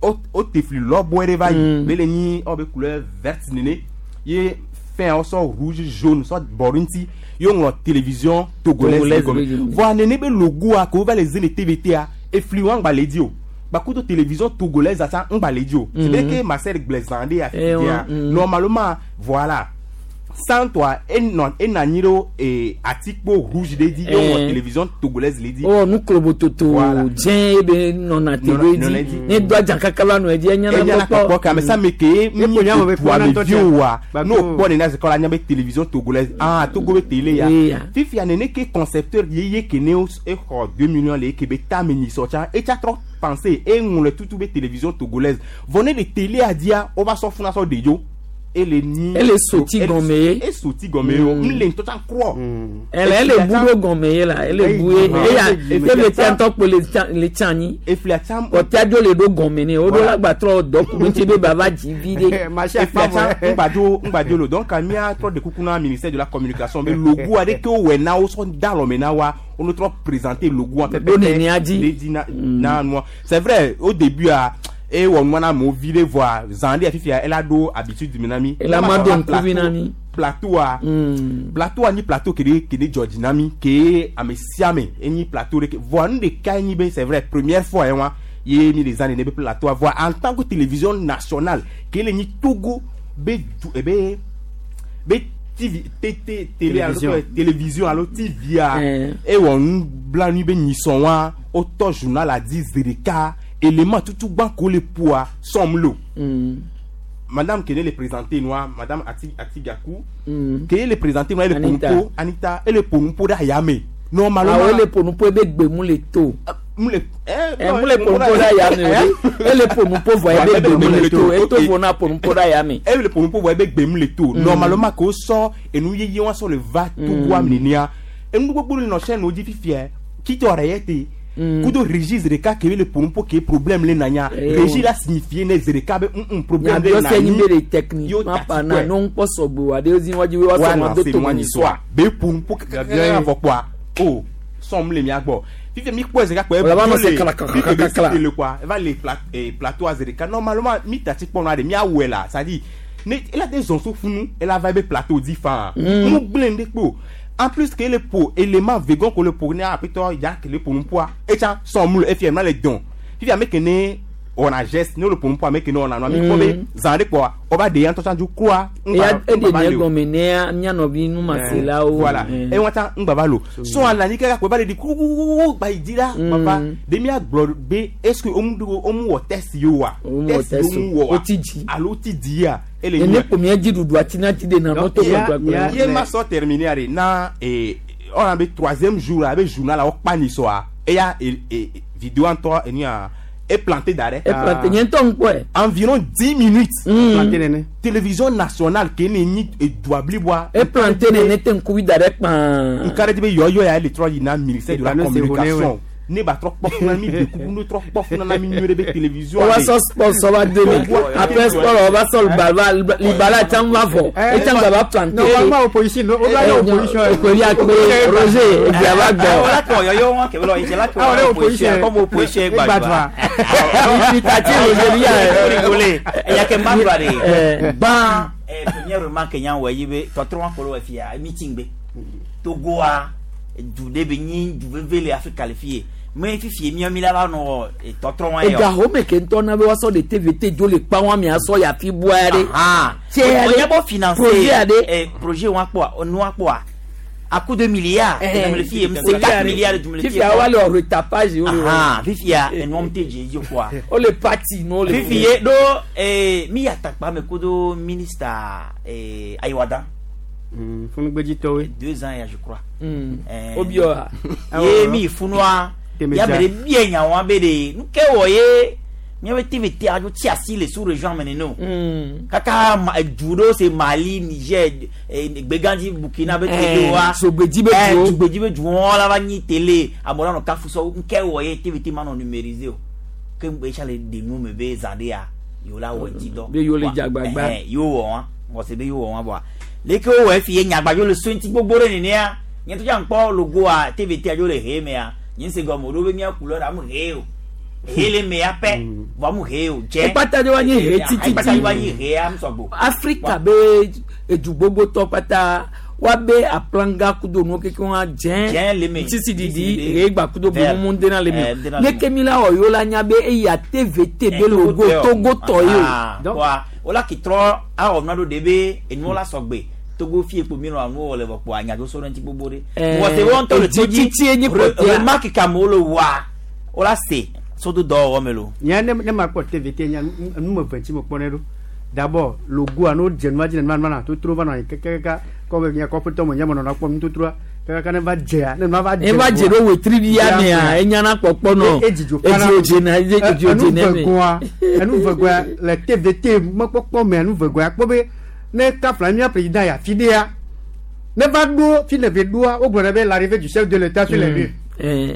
o te fli lɔbɔe ɖe va yi be le nyi ewɔ be couleur verte nene ye fɛn wosɔ rouge jaune sɔ bɔ ɖe ŋuti ye woŋlɔ télévision togolaise Togolaise le gɔme be gɔme. voa nene be logoa ke wova le ze le TVT-a efli wa ŋgba le dzi o gbakudo télévision togolaise tsã ŋgba le dzi o c'est bien que Marcel gblẽ zã ɖe afi Eh, dia normalement voilà santɔa enɔ enɔ anyi ɖo ee atikpo rouge ɖe dzi ye woŋlɔ télévision togolaise le dzi. wowɔ nuklobototo Voilà. dzẽ ye be nɔna te ɖo Nɔna edzi edzi. ne do adza kaka va nɔ edzi enyana Enyana kpɔkpɔ ke ame sia ame ke Epo nya me be dua kpɔna me ŋutɔ vi tse. oa Gbagbo. ne wòkpɔ nene ase kɔ la nya be télévision togolaise ah Togo be télé ya Eya. fifia nene ke concepteur yeye ke ne exɔ 2 millions le eke be tame nyisɔ tsã etsa trɔ penser eŋlɔe tutu be télévision togolaise vɔ ne le télé dia wova sɔ funa sɔ ɖe dzo ele nyi Ele soti gɔme ye. esoti gɔme ye o n le ŋutɔ tsã krɔ ele ele bu ɖo gɔme ye la ele bu ye eya TVT ŋutɔ kpo le tsã le tsã anyi eflia tsã kɔtia dzo le ɖo gɔme ne woɖo Voilà. la gbatrɔ dɔ ku ɖe ŋuti be bava dzi vi ɖe eflia tsã ŋgbadzo ŋgbadzo lo donc mía trɔ de kuku na ministère de la communication be logo aɖe ke wowɔe na wo sɔ da alɔme na wa wo trɔ présenter logo Ɖo nenea dzi. ɖe dzi na na nua c'est vrai au début a ewɔ nua na amewo vi ɖe voa zã ɖe fifia ela ɖo habitude me na mi Ela ma do ŋkuvi na mi. plateau-a plateau-a nyi plateau ke ɖe ke ɖe dzɔ dzi na mi ke ame sia ame enyi plateau ɖe ke voa nu ɖeka enyi be c'est vrai première fois ye wa ye mi le zã nene be plateau-a voa en tant que télévision nationale ke le nyi Togo be du ebe be TV t t télé alo Télévision. télévision alo TV-a Eh. ewɔ nublanui be nyisɔ wa wotɔ journal a di zi ɖeka élément tutu gbã ko le ƒoa sɔm lo madame kene le présenter noa madame Ati Atigaku kene le présenter noa ele Anita. ƒo nuƒo Anita ele ƒo nuƒo ɖe ayame normalement awo ele ƒo nuƒo ebe gbemu le to mu le ɛ mu le ƒo nuƒo ɖe ayame o ɖe ele ƒo nuƒo vɔ ebe gbemu le to eto vo na ƒo nuƒo ɖe ayame ele ƒo nuƒo vɔ ebe gbemu le to normalement ko sɔ enu yeye wa sɔ le va togoa nenea enu gbogbo le nɔ chaîne wo dzi fifia kitɔ ɖe ye te kudo régie zi ɖeka ke le ƒo nuƒo ke problème le nanya Eh, régie la signifie ne zi ɖeka be problème le nyabiɔ se nyi nanyi be le techniquement parlant ne ŋkpɔ sɔgbe wa ɖe zi wa dzi be wa sɔ ma do to wa soa be ƒo nuƒo kakaka vɔ kpoa o sɔm le mia gbɔ fifia mi kpɔ zi ɖeka kpɔ Wala va nɔ se kla, kla, kla, kla, kla. le quoi eva le plateau a zi ɖeka normalement mi tati kpɔ nua ɖe miawɔe la c'est à dire ne ela te zɔn so funu ela va ebe plateau dzi faa mu gblẽ ɖe kpo en plus ke ele ƒo élément vegan ko le ƒo ne aƒetɔ ya ke le ƒo nuƒoa etsa sɔm le efia mla le dɔn fifia ame ke ne wɔna geste ne wole ƒo nuƒoa ame ke ne wɔna nua mi kpɔ be zã ɖe kpɔa wɔba ɖe ya ŋutɔ tsã dzo kroa eya eɖe nye gɔme nea mía nɔvi numaselawo voilà eye wọn tsã ŋgba va lo sɔn ala nyi kaka kpe va le di kukukuku gba yi dzi la papa de mía gblɔ be est ce que womu ɖo womu wɔ test yi wa Womu wɔ test o. womu wɔ wa Woti dzi. alo woti dzi ya ele ene kpo mía dzi ɖuɖu ati na ti de na nɔtɔ kpakpakpa ye ma sɔ terminer are na ee ɔna be troisième jour a be journal la wokpa nyisɔa eya e e vidéo ŋutɔ enia e planté da ɖe. E planté, nye ŋutɔ ŋkpɔe. Environ 10 minutes. Planté nene. Télévision nationale ke ne nyi edua bliboa. E planté nene te ŋkuvi da ɖe kpaa. Nka ɖe dzi be yɔyɔ ya le trɔ yina ministère de la Panneau c'est communication. ouais. Ne ba trɔ kpɔ funa mi de kuku ne trɔ kpɔ funa na mi nyuie ɖe be télévision. Wova sɔ sport sɔ va do me après sport wova sɔ libala libala tsã va vɔ etsã gba va planté. Normalement opposition, no, o la opposition. Okori akpe Roger egbea va gbɔ. Wala kɔ yɔyɔ wọn kɛ bɛlɔ ìṣẹ̀lá kɛ Ah, wọ́n wala opposition opposition. kɔmu opposition gbàdúrà. Tati Roger ya. Rigole ẹ̀yà kɛ mbà dùrà de. Eh. Gbã première remarque yẹn wɔ yi be tɔtrɔ wọn kɔlɔ wɔ fia meeting be Togoa du de be nyi du veve le Afrika le fie me fifie miɔ mi la va nɔ tɔtrɔ wọn yɛ Ega home ke ŋutɔ na be woasɔ ɖe TVT dzo le kpa wɔn mi asɔ yafi bua ya ɖe. Tse ya o ɖe. nya bɔ financer Projet ya ɖe. Projet wọn kpɔ nua kpɔa à coup de milliards dumuni fi ye c'est 4 milliards dumuni fi ye Fifia wa le wɔ retapage wo le wɔ. Ahan, fifia enuɔ te dze dzi kpɔa O le parti no le. fifi ye ɖo mi atakpa me kudo ministre Ayiwada Funugbedzitɔwoe. 2 ans ya je crois. O bi wa. Ye mi funua ya be de bie nyawo be de nu ke wɔ ye miabe TVT adzo tsi asi le sous région me nene o kaka du ɖewo se Mali, Niger, Gbegandzi, Burkina be télé wa Zogbedzi be duwo. Zogbedzi be duwo la va nyi télé amewo la nɔ kafu sɔ nu ke wɔ ye TVT ma nɔ numérisé o ke etsa le de nu me be zã ɖe ya yewo la wɔ edzi dɔ Be yewo le dze agbagba. Yewo wɔ wa mɔse be yewo wɔ wa bɔa leke wowɔ efi ye nyagbadzo le so ŋuti gbogbo ɖe nenea nye to dza ŋkpɔ logoa TVT adzo le he mea Nyi se gɔme o ɖo be mía couleur amu he o. He le me ya pɛ, vɔ amu he o dze. Ekpata ɖe wa nyi he tititi. Ekpata ɖe wa nyi he amu sɔgbo. Afrika be edu gbogbotɔ kpata woabe aplanga kudo nuwo kekeŋ wa dze. Dze le me. Sisi didi he gba kudo Vert. gbemumu dena le me. Eh, dena le Ne ke mi la wɔ yewo la nya be eya TVT be logo Togo tɔ ye o. Ah, wa wola ki trɔ awɔ nua ɖo ɖe be enuwo la sɔgbe. Togo fie kpo mi nɔ anuwo wɔ le vɔ kpo anyadzo so ɖe ŋuti gbogbo ɖe. Eh, Wɔ se wo ŋutɔ le to dzi. edzitsitsi enyi kpɔtɔea. Remarque ka amewo le wɔa, wola se so do dɔwɔwɔ me lo. Nya ne ne ma kpɔ TVT nya nu me ve ŋuti me kpɔ ne ɖo. D'abord logoa no dze nua dzi ne nua nua totro va nɔ anyi kekekeka kɔ be nya kɔƒetɔ me nya me nɔna kpɔm nutotroa kekeka ne va dzea ne nua va dze. Ne va dze ɖo wetrivia mea, enyana kpɔkpɔ nɔ. E dzidzo fana. Edziwo dzena, edziwo dzena Enu me. vegoa, enu vegoa le TVT mekpɔkpɔ me enu vegoa kpɔ be ne kafla mía président ya fi ɖea ne va ɖo fi ne ve ɖoa wogblɔ ne be l'arrivée du chef de l'état sur les lieux.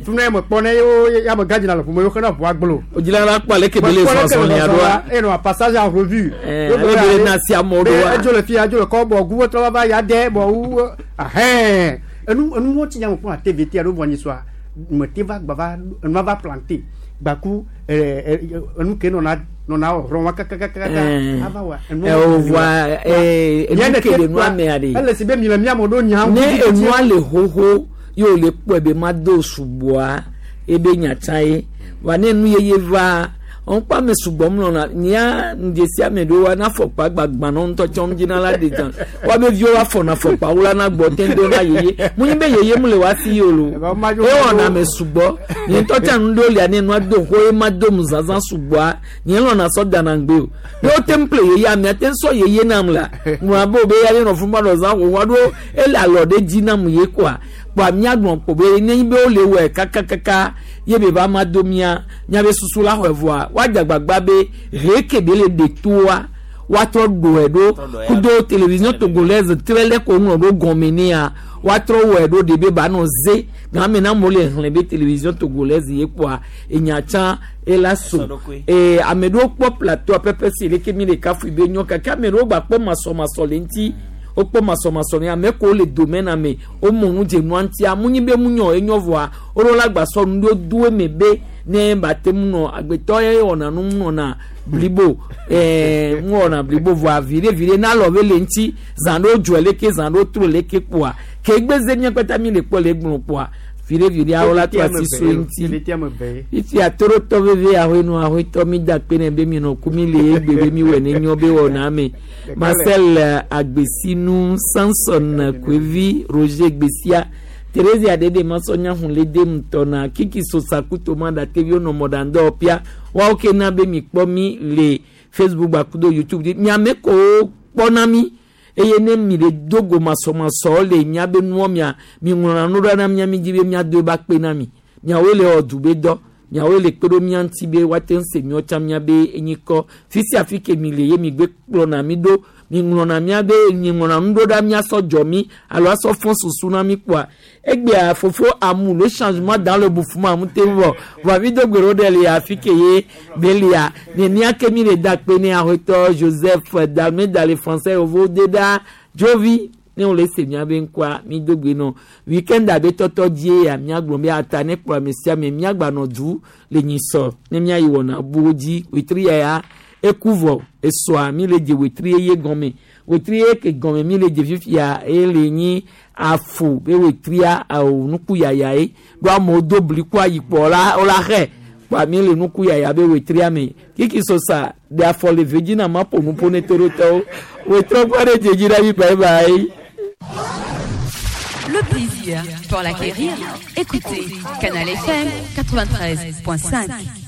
Funu ya me kpɔ ne yewo ya me gadzina le ƒome yewo xena ʋua gblɔ. Odzila la kpɔ aleke be le zɔzɔlia ɖoa. Eye nɔ passage en revue. Eh, ale be le na si amewo ɖoa. Edzo le fia, edzo le kɔ bɔ gu trɔ va ya de bɔ wu ahɛn. Enu enu wo ti nya me kpɔ na TVT alo vɔ nyi soa me te va gba va enua va planter gbaku ɛɛ enu ke nɔna nɔna rɔn wa kakakaka Eh. ava wa. enu Eh, o voa, eh, Nya enu ne ke te le nua kpɔa, mea ɖe. Ele si be mi le mía me ɖo nya. Ne enua le xoxo ye wòle kpɔe be mado sugbɔa ebe nyatsa ye wa ne nu yeye va ŋkpɔ ame sugbɔ mlɔna nya ŋdzesi ame ɖewo wa na afɔkpa gbagbã nɔ ŋutɔ tsɔ ŋdzina la de dzã woabe viwo wa fɔna afɔkpa wo la na gbɔ te do na yeye mu nyi be yeye mu le wa si yi o lo ewɔna ame sugbɔ nye ŋutɔ tsa nu ɖewo lia ne nua do xɔ ye ma do mu zazã sugbɔa nye lɔna sɔ dana ŋgbe o ne wo te ŋu ƒle yeye amea te ŋu sɔ yeye nam la ŋlɔ abe wo be ya ne nɔ fún ma nɔ zã xoxoa ɖo ele alɔ ɖe dzi nam ye koa kpoa míagblɔ kpo be ne be wole wɔe kakakaka ye be va ma do mía míabe susu la xɔe vɔa woadze agbagba be he ke be le ɖe toa woatrɔ ɖoe ɖo kudo télévision togolaise trɛ lɛ ko ŋlɔ ɖo gɔme nea woatrɔ wɔe ɖo ɖe be ba nɔ ze game na amewo le xlẽ be télévision togolaise ye kpoa enya tsã ela so ee ame ɖewo kpɔ plateau pɛpɛ si leke mi le kafui be nyɔ gake ame ɖewo gba kpɔ masɔmasɔ le ŋuti wokpɔ masɔmasɔ ne ame kewo le domaine ame womɔ nu dze nua ŋutia mu nyi be mu nyɔ enyɔ vɔa woɖo la gba sɔ nu ɖewo do eme be ne ba te mu nɔ agbetɔ ye wɔna nu mu nɔna blibo ɛɛ mu wɔna blibo vɔa viɖe viɖe na alɔ be le ŋuti zã ɖewo dzɔe leke zã ɖewo tro leke kpoa ke egbeze mía kpata mi le kpɔ le egblɔ kpoa viɖe viɖe awo la to asi so ŋuti TVT ame ve ye. fifia torotɔ veve ahoenu ahoetɔ mi da kpe ne be mi nɔ ku mi le egbe be mi wɔ ne nyɔ be wɔna me Marcel Agbesinu Samson Kwevi Roger Gbesia Theresia Dede Masɔnya Hunlede Mutɔna Kiki Sosa Kutoma Dateviwo nɔ mɔɖaŋdɔ pia woawo ke na be mi kpɔ mi le Facebook gbakudo YouTube dzi miame kowo kpɔna mi eye ne mi le do go masɔmasɔ le miabe nuɔ mia mi ŋlɔna nu ɖa na mia mi dzi be miado eba kpe na mi miawoe le wɔ du be dɔ miawoe le kpe ɖo mia ŋuti be woate ŋu se miɔ tsã miabe enyikɔ fi sia fi ke mi le ye mi gbe kplɔna mi ɖo mi ŋlɔna miabe mi ŋlɔna nu ɖo ɖa miasɔ dzɔ mi alo asɔ fɔ susu na mi kpoa egbea fofo amu le changement dans le bouffement mu te vɔ vɔ mi do gbe ɖo ɖe le afi ke ye be lia nenia ke mi le da kpe ne ahoetɔ Joseph Dalmeda le français yovo de ɖa dzovi ne wole se miabe ŋkɔa mi do gbe nɔ weekend abe tɔtɔ dzie ya miagblɔ be ata ne kplɔ ame sia ame miagba nɔ du le nyisɔ ne miayi wɔna buwo dzi wetri ya ya eku vɔ esɔa mi le dze wetri ye gɔme wetri ye ke gɔme mi le dze fifia eye le nyi afu be wetria awo nuku yaya ye ɖo amewo do bli ku ayi kpɔ wola wola xɛ kpɔ mi le nuku yaya be wetria me kiki sosa de afɔ le ve dzi na ma ƒo nuƒo ne to ɖo tɔwo wetrɔ kpɔ ɖe dze dzi ɖa mi bye bye. Le plaisir, pour l'acquérir, écoutez Canal FM 93.5.